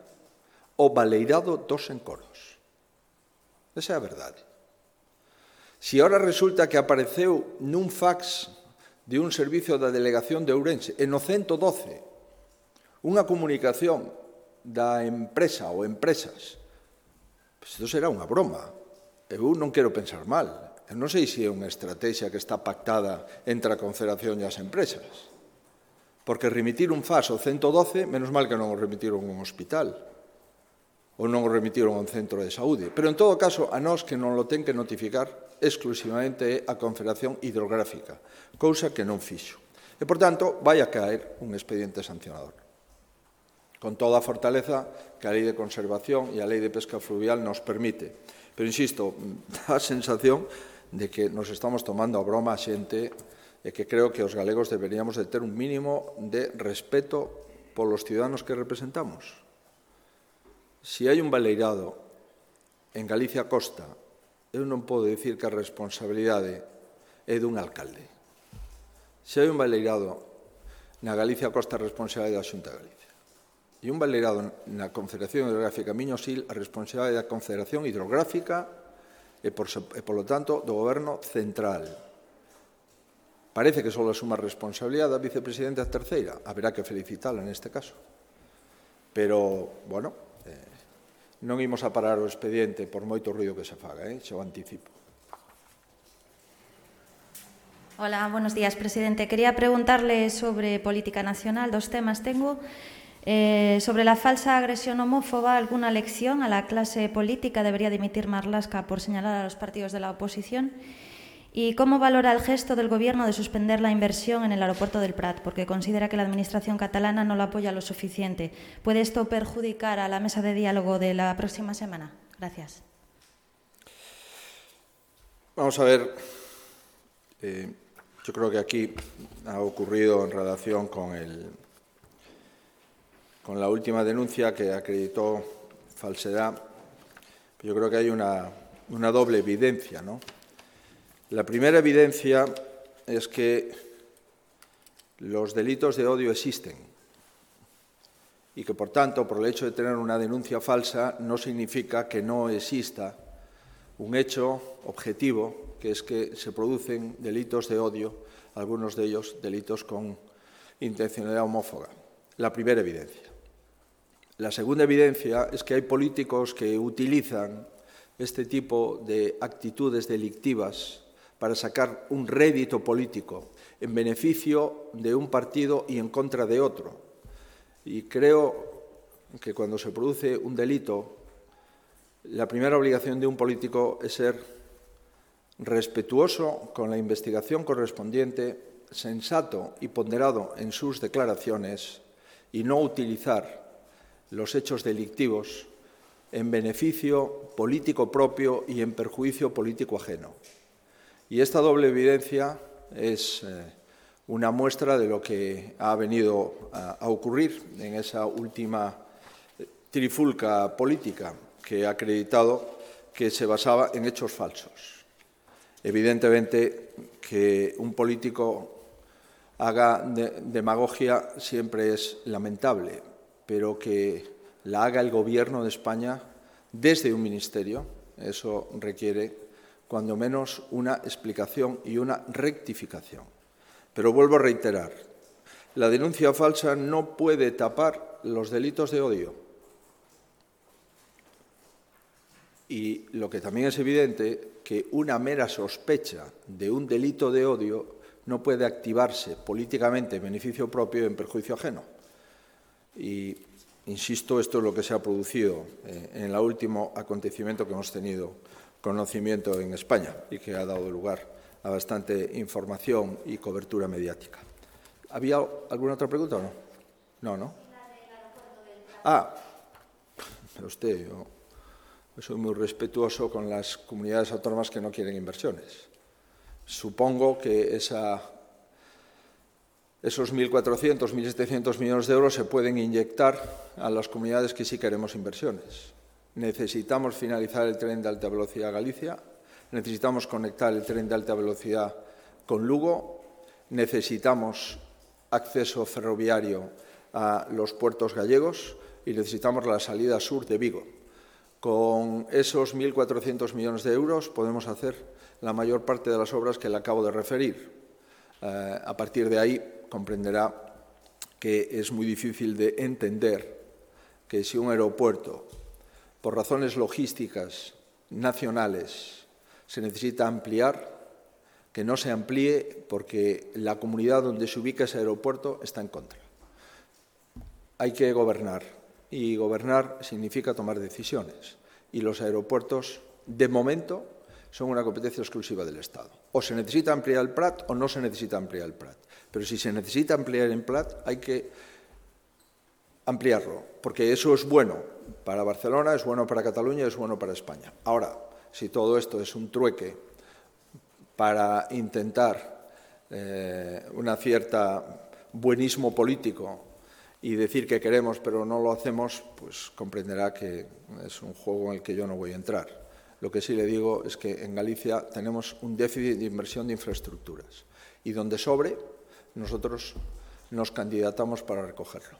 o baleirado dos encoros. Esa é a verdade. Se ora resulta que apareceu nun fax de un servicio da Delegación de Ourense, e no ciento doce, unha comunicación da empresa ou empresas, pois isto será unha broma. Eu non quero pensar mal. Eu non sei se é unha estrategia que está pactada entre a Confederación e as empresas. Porque remitir un fax ao ciento doce, menos mal que non o remitiron a un hospital, ou non o remitiron a un centro de saúde. Pero, en todo caso, a nós que non lo ten que notificar exclusivamente é a Confederación Hidrográfica, cousa que non fixo. E, por tanto, vai a caer un expediente sancionador, con toda a fortaleza que a Lei de Conservación e a Lei de Pesca Fluvial nos permite. Pero, insisto, dá a sensación de que nos estamos tomando a broma a xente e que creo que os galegos deberíamos de ter un mínimo de respeto polos ciudadanos que representamos. Se hai un baleirado en Galicia Costa, eu non podo dicir que a responsabilidade é dun alcalde. Se hai un baleirado na Galicia Costa, a responsabilidade da Xunta de Galicia. E un baleirado na Confederación Hidrográfica Miño-Sil, a responsabilidade da Confederación Hidrográfica e, por, e, polo tanto, do Goberno central. Parece que só asuma a responsabilidade da vicepresidenta terceira. Haberá que felicitala neste caso. Pero, bueno, eh, non imos a parar o expediente por moito ruido que se faga, eh? Xa o anticipo. Hola, buenos días, presidente. Quería preguntarle sobre política nacional. Dos temas tengo. Eh, sobre la falsa agresión homófoba, ¿alguna lección a la clase política debería dimitir Marlaska por señalar a los partidos de la oposición? ¿Y cómo valora el gesto del Gobierno de suspender la inversión en el aeropuerto del Prat? Porque considera que la Administración catalana no lo apoya lo suficiente. ¿Puede esto perjudicar a la mesa de diálogo de la próxima semana? Gracias. Vamos a ver. Eh, yo creo que aquí ha ocurrido en relación con, el, con la última denuncia que acreditó falsedad. Yo creo que hay una, una doble evidencia, ¿no? La primera evidencia es que los delitos de odio existen y que, por tanto, por el hecho de tener una denuncia falsa, no significa que no exista un hecho objetivo, que es que se producen delitos de odio, algunos de ellos delitos con intencionalidad homófoba. La primera evidencia. La segunda evidencia es que hay políticos que utilizan este tipo de actitudes delictivas para sacar un rédito político en beneficio de un partido y en contra de otro. Y creo que cuando se produce un delito, la primera obligación de un político es ser respetuoso con la investigación correspondiente, sensato y ponderado en sus declaraciones y no utilizar los hechos delictivos en beneficio político propio y en perjuicio político ajeno. Y esta doble evidencia es eh, una muestra de lo que ha venido a, a ocurrir en esa última trifulca política que ha acreditado que se basaba en hechos falsos. Evidentemente que un político haga de, demagogia siempre es lamentable, pero que la haga el Gobierno de España desde un ministerio, eso requiere cuando menos una explicación y una rectificación. Pero vuelvo a reiterar, la denuncia falsa no puede tapar los delitos de odio. Y lo que también es evidente, que una mera sospecha de un delito de odio no puede activarse políticamente en beneficio propio y en perjuicio ajeno. Y, insisto, esto es lo que se ha producido eh, en el último acontecimiento que hemos tenido conocimiento en España y que ha dado lugar a bastante información y cobertura mediática. ¿Había alguna otra pregunta o no? No, ¿no? Ah, pero usted, yo, yo soy muy respetuoso con las comunidades autónomas que no quieren inversiones. Supongo que esa, esos mil cuatrocientos, mil setecientos millones de euros se pueden inyectar a las comunidades que sí queremos inversiones. Necesitamos finalizar el tren de alta velocidad a Galicia, necesitamos conectar el tren de alta velocidad con Lugo, necesitamos acceso ferroviario a los puertos gallegos y necesitamos la salida sur de Vigo. Con esos mil cuatrocientos millones de euros podemos hacer la mayor parte de las obras que le acabo de referir. Eh, a partir de ahí comprenderá que es muy difícil de entender que si un aeropuerto, por razones logísticas nacionales, se necesita ampliar, que no se amplíe porque la comunidad donde se ubica ese aeropuerto está en contra. Hay que gobernar y gobernar significa tomar decisiones y los aeropuertos, de momento, son una competencia exclusiva del Estado. O se necesita ampliar el Prat o no se necesita ampliar el Prat. Pero si se necesita ampliar el Prat, hay que ampliarlo, porque eso es bueno para Barcelona, es bueno para Cataluña, es bueno para España. Ahora, si todo esto es un trueque para intentar eh, una cierta buenismo político y decir que queremos pero no lo hacemos, pues comprenderá que es un juego en el que yo no voy a entrar. Lo que sí le digo es que en Galicia tenemos un déficit de inversión de infraestructuras y donde sobre, nosotros nos candidatamos para recogerlo.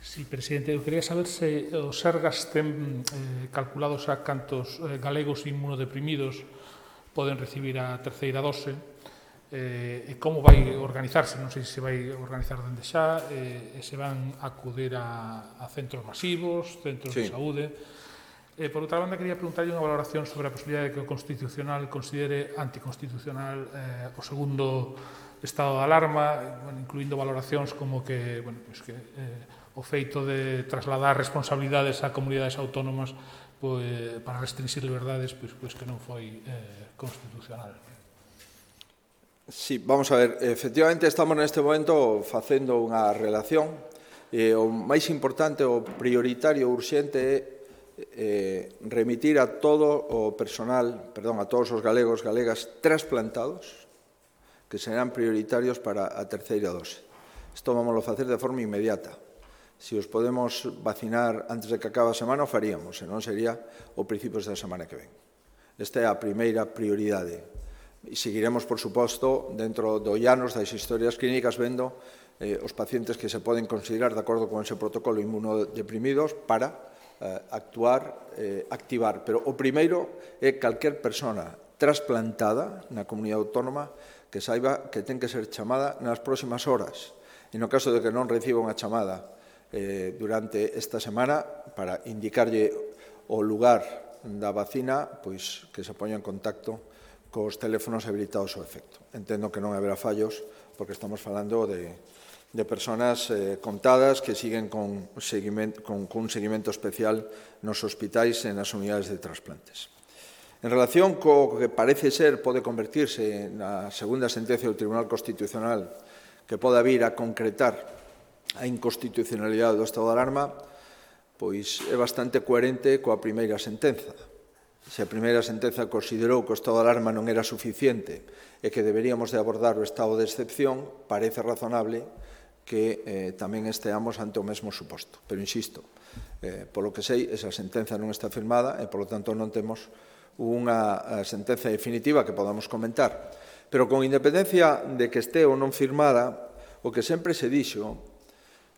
Sí, presidente, eu quería saber se os Sergas ten eh, calculados a cantos eh, galegos inmunodeprimidos poden recibir a terceira dose eh, e como vai organizarse, non sei se vai organizar dende xa, eh, e se van acudir a, a centros masivos, centros sí. de saúde. Eh, por outra banda, quería preguntarlle unha valoración sobre a posibilidade de que o Constitucional considere anticonstitucional eh, o segundo estado de alarma, bueno, incluindo valoracións como que, bueno, pues que eh, o feito de trasladar responsabilidades a comunidades autónomas pues, para restringir liberdades, pues, pues que non foi eh, constitucional. Sí, vamos a ver, efectivamente estamos neste momento facendo unha relación e o máis importante, o prioritario, urxente é eh, remitir a todo o personal, perdón, a todos os galegos, galegas trasplantados que serán prioritarios para a terceira dose. Isto vamos a facer de forma inmediata. Se os podemos vacinar antes de que acabe a semana, o faríamos, senón sería o principios da semana que ven. Esta é a primeira prioridade. E seguiremos, por suposto, dentro do llanos das historias clínicas, vendo eh, os pacientes que se poden considerar de acordo con ese protocolo inmunodeprimidos para eh, actuar, eh, activar. Pero o primeiro é calquer persona trasplantada na comunidade autónoma que saiba que ten que ser chamada nas próximas horas. E no caso de que non reciba unha chamada Eh, durante esta semana para indicarlle o lugar da vacina, pois que se poña en contacto cos teléfonos habilitados ao efecto. Entendo que non haberá fallos porque estamos falando de, de personas eh, contadas que siguen con, seguimento, con, con un seguimento especial nos hospitais e nas unidades de trasplantes. En relación co que parece ser pode convertirse na segunda sentencia do Tribunal Constitucional que poda vir a concretar a inconstitucionalidade do estado de alarma pois é bastante coherente coa primeira sentenza. Se a primeira sentenza considerou que o estado de alarma non era suficiente e que deberíamos de abordar o estado de excepción, parece razonable que eh, tamén esteamos ante o mesmo suposto. Pero, insisto, eh, polo que sei, esa sentenza non está firmada e, polo tanto, non temos unha sentenza definitiva que podamos comentar. Pero, con independencia de que este ou non firmada, o que sempre se dixo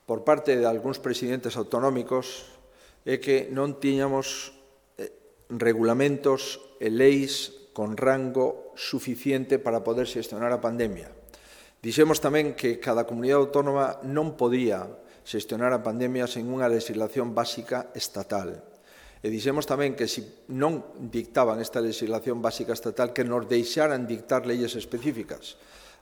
por parte de algúns presidentes autonómicos é que non tiñamos regulamentos e leis con rango suficiente para poder xestionar a pandemia. Dixemos tamén que cada comunidade autónoma non podía xestionar a pandemia sen unha legislación básica estatal. E dixemos tamén que se non dictaban esta legislación básica estatal que nos deixaran dictar leyes específicas.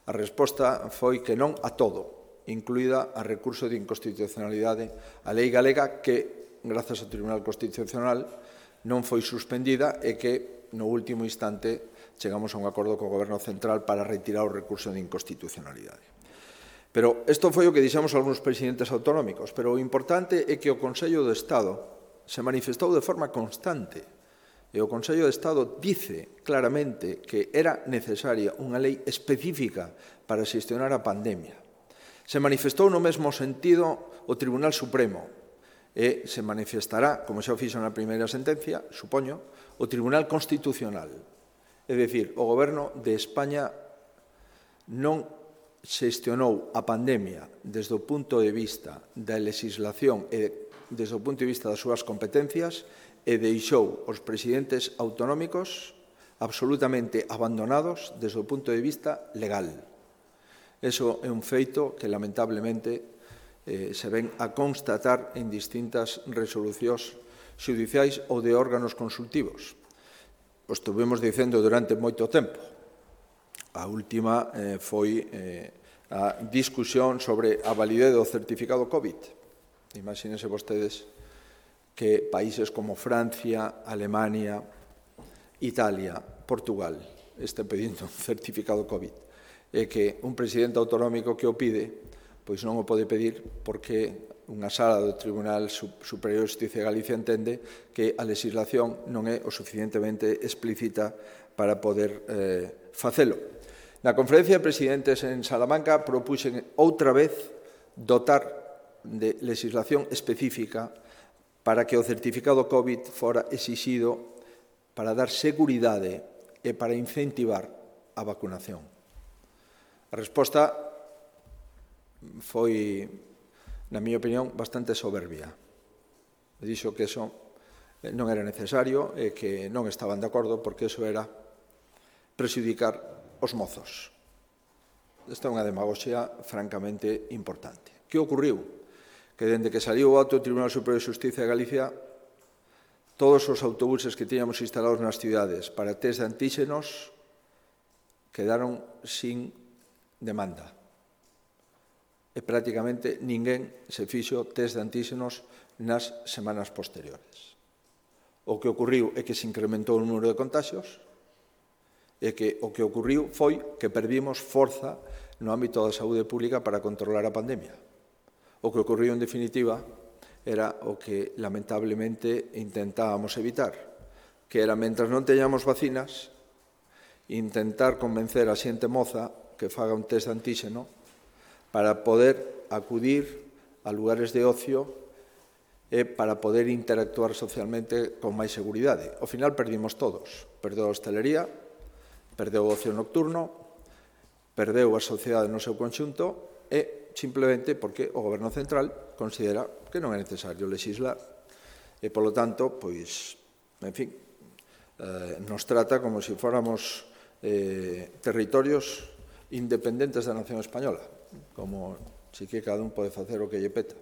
A resposta foi que non a todo, incluída a recurso de inconstitucionalidade a lei galega que, grazas ao Tribunal Constitucional, non foi suspendida e que, no último instante, chegamos a un acordo co Goberno Central para retirar o recurso de inconstitucionalidade. Pero isto foi o que dixemos a algúns presidentes autonómicos, pero o importante é que o Consello do Estado se manifestou de forma constante e o Consello do Estado dice claramente que era necesaria unha lei específica para xestionar a pandemia. Se manifestou no mesmo sentido o Tribunal Supremo, e se manifestará, como xa o fixo na primeira sentencia, supoño, o Tribunal Constitucional. É dicir, o Goberno de España non xestionou a pandemia desde o punto de vista da legislación e desde o punto de vista das súas competencias e deixou os presidentes autonómicos absolutamente abandonados desde o punto de vista legal. Eso é un feito que, lamentablemente, Eh, se ven a constatar en distintas resolucións xudiciais ou de órganos consultivos. O estuvemos dicendo durante moito tempo. A última eh, foi eh, a discusión sobre a validez do certificado COVID. Imagínense vostedes que países como Francia, Alemania, Italia, Portugal estén pedindo un certificado COVID e que un presidente autonómico que o pide pois non o pode pedir porque unha sala do Tribunal Superior de Justicia de Galicia entende que a legislación non é o suficientemente explícita para poder eh, facelo. Na conferencia de presidentes en Salamanca propuxen outra vez dotar de legislación específica para que o certificado COVID fora exixido para dar seguridade e para incentivar a vacunación. A resposta foi, na miña opinión, bastante soberbia. Dixo que eso non era necesario e que non estaban de acordo porque eso era prexudicar os mozos. Esta é unha demagoxia francamente importante. Que ocurriu? Que dende que saliu o auto do Tribunal Superior de Justicia de Galicia, todos os autobuses que tiñamos instalados nas cidades para test de antíxenos quedaron sin demanda. E prácticamente ninguén se fixo test de antíxenos nas semanas posteriores. O que ocurriu é que se incrementou o número de contaxios e que o que ocurriu foi que perdimos forza no ámbito da saúde pública para controlar a pandemia. O que ocurriu, en definitiva, era o que lamentablemente intentábamos evitar, que era, mentras non teñamos vacinas, intentar convencer a xente moza que faga un test de antíxeno para poder acudir a lugares de ocio e para poder interactuar socialmente con máis seguridade. Ao final perdimos todos. Perdeu a hostelería, perdeu o ocio nocturno, perdeu a sociedade no seu conxunto e simplemente porque o Goberno Central considera que non é necesario legislar. E, polo tanto, pois, en fin, eh, nos trata como se fóramos eh, territorios independentes da nación española, como si que cada un pode facer o que lle peta.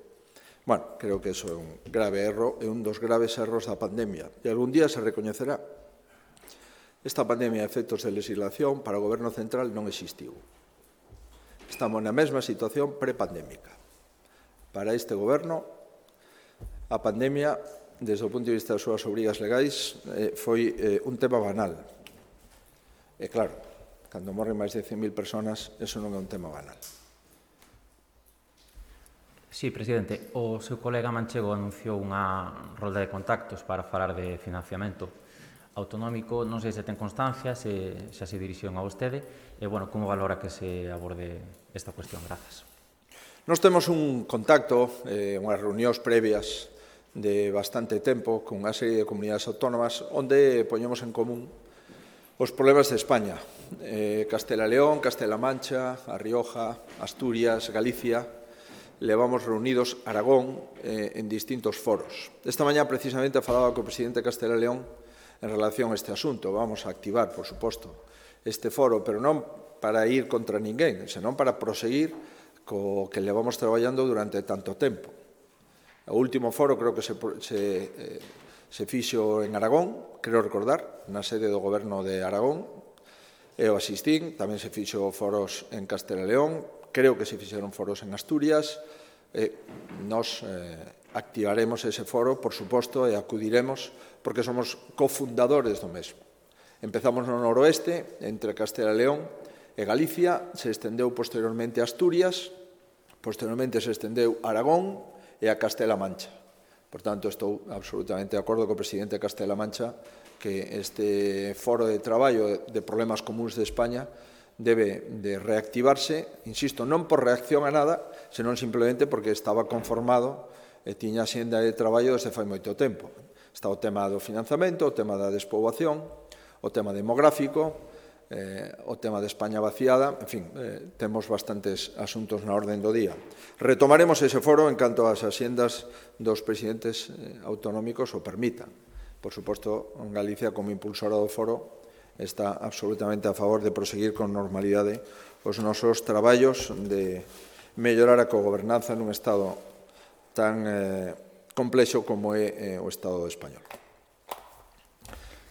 Bueno, creo que eso é un grave erro, é un dos graves erros da pandemia, e algún día se recoñecerá. Esta pandemia de efectos de legislación para o Goberno Central non existiu. Estamos na mesma situación prepandémica. Para este Goberno, a pandemia, desde o punto de vista das súas obrigas legais, eh, foi eh, un tema banal. E claro, cando morren máis de cen mil personas, eso non é un tema banal. Sí, presidente, o seu colega manchego anunciou unha rolda de contactos para falar de financiamento autonómico. Non sei se ten constancia, se xa se dirixión a vostede, e, bueno, como valora que se aborde esta cuestión? Grazas. Nos temos un contacto, eh, unhas reunións previas de bastante tempo con unha serie de comunidades autónomas onde poñemos en común os problemas de España. Eh, Castela e León, Castela-A Mancha, A Rioja, Asturias, Galicia. Levamos reunidos Aragón eh, en distintos foros. Esta mañá precisamente falaba co presidente de Castela e León en relación a este asunto. Vamos a activar, por suposto, este foro, pero non para ir contra ninguén, senón para proseguir co que levamos traballando durante tanto tempo. O último foro creo que se, se, eh, se fixo en Aragón, creo recordar, na sede do goberno de Aragón. Eu asistín, tamén se fixo foros en Castela e León, creo que se fixeron foros en Asturias. Eh, nos eh, activaremos ese foro, por suposto, e acudiremos, porque somos cofundadores do mesmo. Empezamos no noroeste, entre Castela e León e Galicia, se estendeu posteriormente a Asturias, posteriormente se estendeu a Aragón e a Castela-A Mancha. Por tanto, estou absolutamente de acordo co presidente de Castela-A Mancha que este foro de traballo de problemas comuns de España debe de reactivarse, insisto, non por reacción a nada, senón simplemente porque estaba conformado e tiña xenda de traballo desde fai moito tempo. Está o tema do financiamento, o tema da despoboación, o tema demográfico, eh, o tema de España vaciada, en fin, eh, temos bastantes asuntos na orden do día. Retomaremos ese foro en canto ás axendas dos presidentes eh, autonómicos o permitan. Por suposto, en Galicia, como impulsora do foro, está absolutamente a favor de proseguir con normalidade os nosos traballos de mellorar a cogobernanza nun Estado tan eh, complexo como é eh, o Estado español.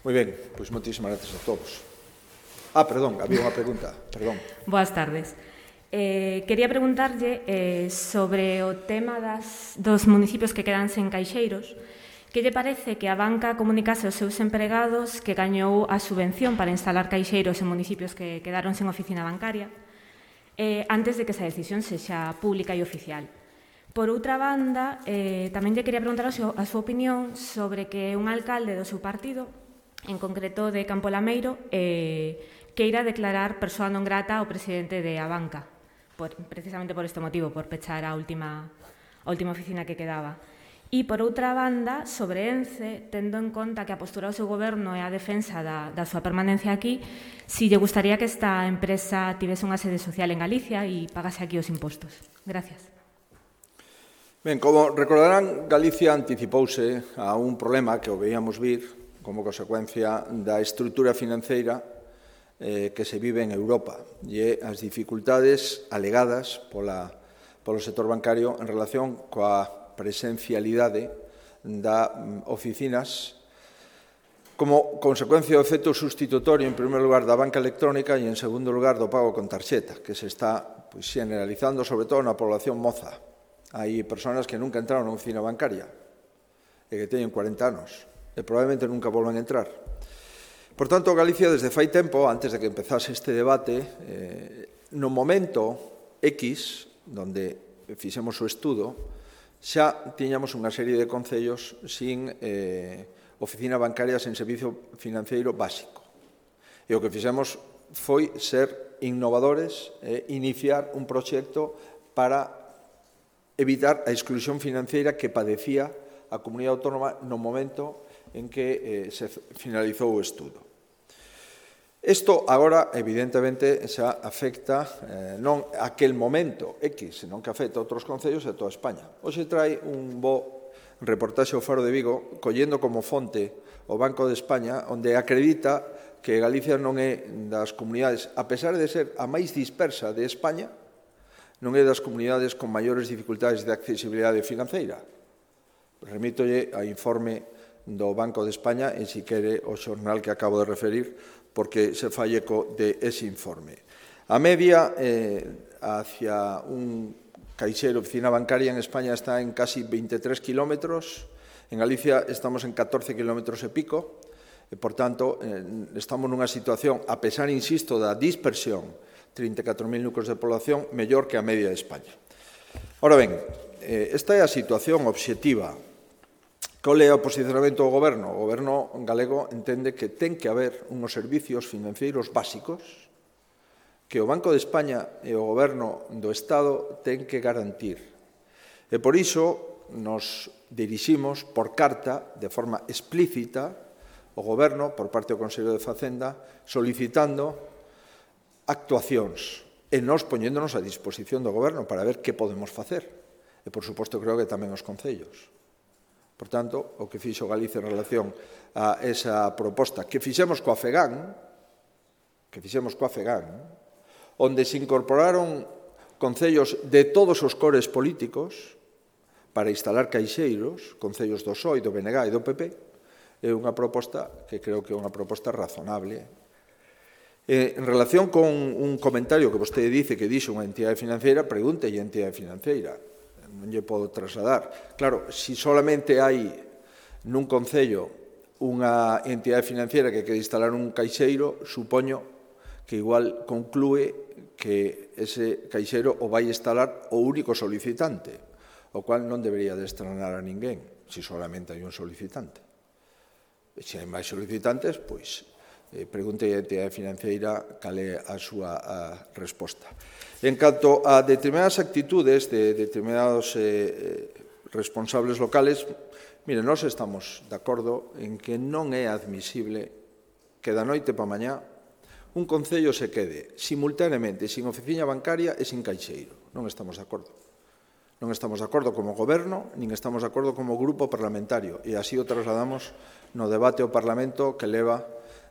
Moi ben, pois moitísimas gracias a todos. Ah, perdón, había unha pregunta. Perdón. Boas tardes. Eh, quería preguntarlle eh, sobre o tema das, dos municipios que quedan sen caixeiros. Que lle parece que a banca comunicase aos seus empregados que gañou a subvención para instalar caixeiros en municipios que quedaron sen oficina bancaria eh, antes de que esa decisión sexa pública e oficial? Por outra banda, eh, tamén lle quería preguntar a, seu, a súa opinión sobre que un alcalde do seu partido, en concreto de Campo Lameiro, eh, queira declarar persoa non grata ao presidente de a banca, por, precisamente por este motivo, por pechar a última, a última oficina que quedaba. E, por outra banda, sobre Ence, tendo en conta que a postura do seu goberno é a defensa da, da súa permanencia aquí, si lle gustaría que esta empresa tivese unha sede social en Galicia e pagase aquí os impostos. Gracias. Ben, como recordarán, Galicia anticipouse a un problema que o veíamos vir como consecuencia da estrutura financeira eh, que se vive en Europa e as dificultades alegadas pola, polo sector bancario en relación coa presencialidade das oficinas como consecuencia do efecto sustitutorio, en primeiro lugar, da banca electrónica e, en segundo lugar, do pago con tarxeta, que se está pois, generalizando, sobre todo, na población moza. Hai persoas que nunca entraron na oficina bancaria e que teñen cuarenta anos e probablemente nunca volvan a entrar. Por tanto, Galicia, desde fai tempo, antes de que empezase este debate, eh, no momento X, donde fixemos o estudo, xa tiñamos unha serie de concellos sin eh, oficina bancaria sen servizo financeiro básico. E o que fixemos foi ser innovadores e iniciar un proxecto para evitar a exclusión financeira que padecía a comunidade autónoma no momento en que eh, se finalizou o estudo. Isto agora, evidentemente, xa afecta eh, non aquel momento X, senón que afecta a outros concellos e a toda España. Hoxe trae un bo reportaxe ao Faro de Vigo, collendo como fonte o Banco de España, onde acredita que Galicia non é das comunidades, a pesar de ser a máis dispersa de España, non é das comunidades con maiores dificultades de accesibilidade financeira. Remítolle a informe do Banco de España e, si quere, o xornal que acabo de referir, porque se fai eco de ese informe. A media eh, hacia un caixero oficina bancaria en España está en casi veintitrés kilómetros, en Galicia estamos en catorce kilómetros e pico, e, por tanto, eh, estamos nunha situación, a pesar, insisto, da dispersión, trinta e catro mil núcleos de población, mellor que a media de España. Ora ben, esta é a situación obxectiva. Cal é o posicionamento do Goberno? O Goberno galego entende que ten que haber unhos servicios financeiros básicos que o Banco de España e o Goberno do Estado ten que garantir. E por iso nos diriximos por carta, de forma explícita, o Goberno, por parte do Consello de Facenda, solicitando actuacións e nos poñéndonos a disposición do Goberno para ver que podemos facer. E, por suposto, creo que tamén os concellos. Por tanto, o que fixo Galicia en relación a esa proposta que fixemos coa FEGAN, que fixemos coa FEGAN, onde se incorporaron concellos de todos os cores políticos para instalar caixeiros, concellos do P S O E, do B N G e do P P, é unha proposta que creo que é unha proposta razonable. Eh, en relación con un comentario que vostede dice que dixo unha entidade financiera, pregúntelle a entidade financiera. Non lle podo trasladar. Claro, se si solamente hai nun concello unha entidade financiera que quere instalar un caixeiro, supoño que igual conclúe que ese caixeiro o vai instalar o único solicitante, o cual non debería de estranhar a ninguén, se solamente hai un solicitante. E se hai máis solicitantes, pois eh, pregunte a entidade financiera cal é a súa a resposta. En canto a determinadas actitudes de determinados eh, responsables locales, mire, nós estamos de acordo en que non é admisible que da noite pa mañá un concello se quede simultaneamente sin oficina bancaria e sin caixeiro. Non estamos de acordo. Non estamos de acordo como goberno, nin estamos de acordo como grupo parlamentario, e así o trasladamos no debate ao Parlamento que leva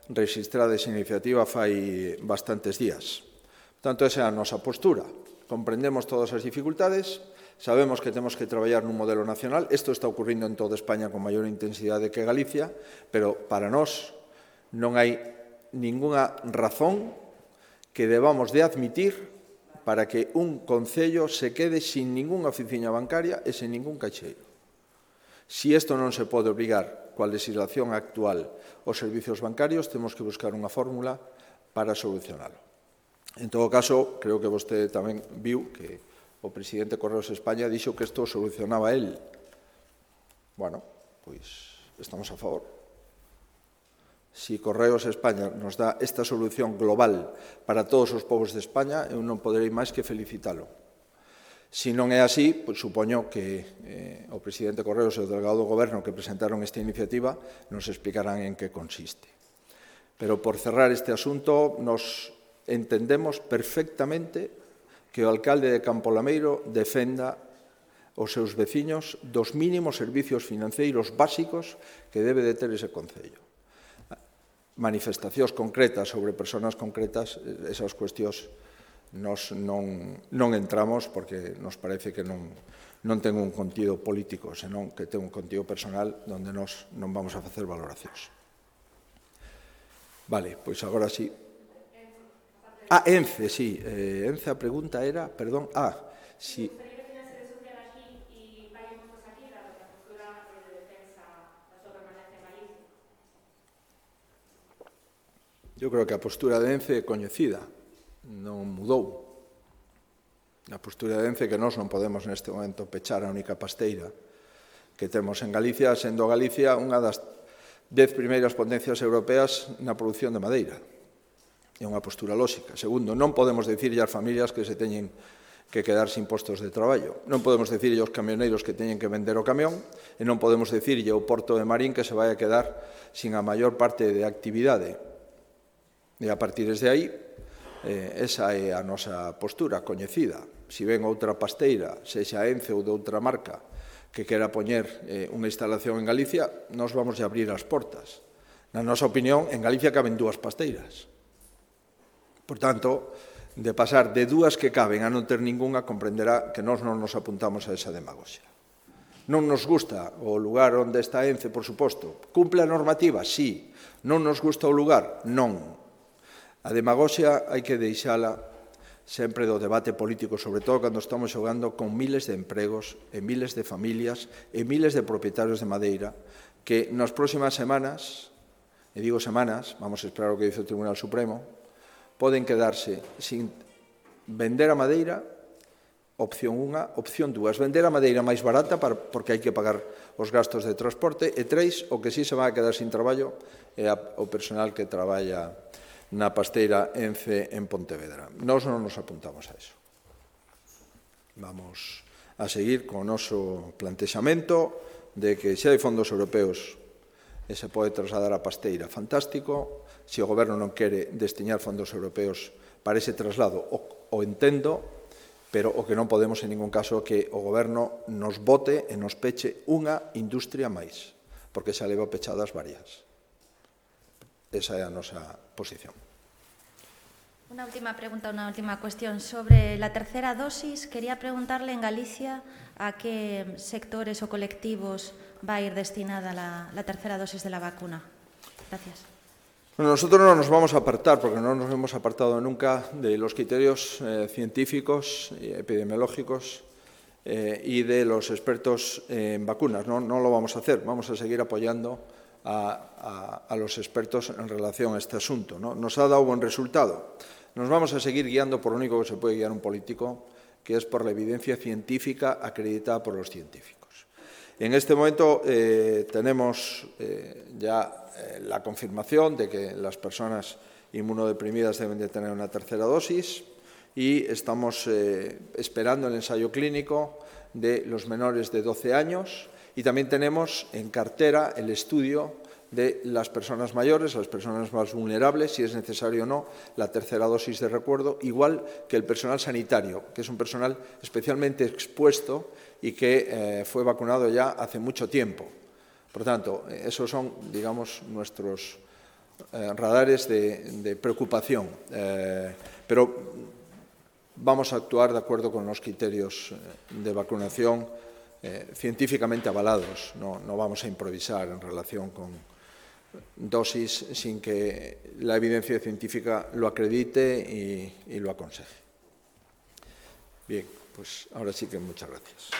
registrada esa iniciativa fai bastantes días. Tanto, esa é a nosa postura. Comprendemos todas as dificultades, sabemos que temos que traballar nun modelo nacional. Isto está ocurrindo en toda España con maior intensidade que Galicia, pero para nós non hai ningunha razón que debamos de admitir para que un concello se quede sin ningunha oficina bancaria e sin ningún caixeiro. Si isto non se pode obrigar coa legislación actual aos servicios bancarios, temos que buscar unha fórmula para solucionalo. En todo caso, creo que vostede tamén viu que o presidente Correos España dixo que isto solucionaba él. Bueno, pois estamos a favor. Si Correos España nos dá esta solución global para todos os povos de España, eu non poderei máis que felicitalo. Si non é así, pois supoño que eh, o presidente Correos e o delegado do Goberno que presentaron esta iniciativa nos explicarán en que consiste. Pero por cerrar este asunto, nos entendemos perfectamente que o alcalde de Campolameiro defenda os seus veciños dos mínimos servicios financeiros básicos que debe de ter ese concello. Manifestacións concretas sobre persoas concretas, esas cuestións nos non, non entramos porque nos parece que non, non ten un contido político, senón que ten un contido personal onde nos non vamos a facer valoracións. Vale, pois agora sí. Ah, ENCE, sí. Eh, ENCE, a pregunta era, perdón, ah, sí. Eu creo que a postura de ENCE é coñecida, non mudou. A postura de ENCE que nós non podemos neste momento pechar a única pasteira que temos en Galicia, sendo Galicia unha das dez primeiras potencias europeas na produción de madeira. É unha postura lóxica. Segundo, non podemos dicirlle ás familias que se teñen que quedar sin postos de traballo. Non podemos dicirlle aos camioneiros que teñen que vender o camión e non podemos dicirlle ao Porto de Marín que se vai a quedar sin a maior parte de actividade. E a partir desde aí, eh, esa é a nosa postura coñecida. Se ven outra pasteira, sexa ENCE ou de outra marca, que quera poñer eh, unha instalación en Galicia, nós vamos a abrir as portas. Na nosa opinión, en Galicia caben dúas pasteiras. Por tanto, de pasar de dúas que caben a non ter ningunha, comprenderá que nós non nos apuntamos a esa demagoxia. Non nos gusta o lugar onde está ENCE, por suposto. Cumple a normativa? Sí. Non nos gusta o lugar? Non. A demagoxia hai que deixala sempre do debate político, sobre todo cando estamos xogando con miles de empregos e miles de familias e miles de propietarios de madeira que nas próximas semanas, e digo semanas, vamos a esperar o que dice o Tribunal Supremo, poden quedarse sin vender a madeira opción unha. Opción dúas, vender a madeira máis barata para, porque hai que pagar os gastos de transporte. E tres, o que sí se vai a quedar sin traballo é a, o personal que traballa na pasteira Ence en Pontevedra. Nós non nos apuntamos a eso. Vamos a seguir con o noso plantexamento de que se hai fondos europeos e se pode trasladar a pasteira, fantástico. Se o goberno non quere destiñar fondos europeos para ese traslado, o, o entendo, pero o que non podemos en ningún caso é que o goberno nos bote e nos peche unha industria máis, porque xa leva pechadas varias. Esa é a nosa posición. Una última pregunta, una última cuestión. Sobre la tercera dosis, quería preguntarle en Galicia a qué sectores o colectivos va a ir destinada la, la tercera dosis de la vacuna. Gracias. Bueno, nosotros no nos vamos a apartar, porque no nos hemos apartado nunca de los criterios eh, científicos y epidemiológicos eh, y de los expertos en vacunas. No, no lo vamos a hacer, vamos a seguir apoyando a, a, a los expertos en relación a este asunto, ¿no? Nos ha dado buen resultado. Nos vamos a seguir guiando por lo único que se puede guiar un político, que es por la evidencia científica acreditada por los científicos. En este momento eh, tenemos eh, ya eh, la confirmación de que las personas inmunodeprimidas deben de tener una tercera dosis y estamos eh, esperando el ensayo clínico de los menores de doce años y también tenemos en cartera el estudio de las personas mayores, las personas más vulnerables, si es necesario o no, la tercera dosis de recuerdo, igual que el personal sanitario, que es un personal especialmente expuesto y que eh, fue vacunado ya hace mucho tiempo. Por tanto, esos son, digamos, nuestros eh, radares de, de preocupación. Eh, pero vamos a actuar de acuerdo con los criterios de vacunación eh, científicamente avalados. No, no vamos a improvisar en relación con dosis sin que la evidencia científica lo acredite y, y lo aconseje. Bien, pues ahora sí que muchas gracias.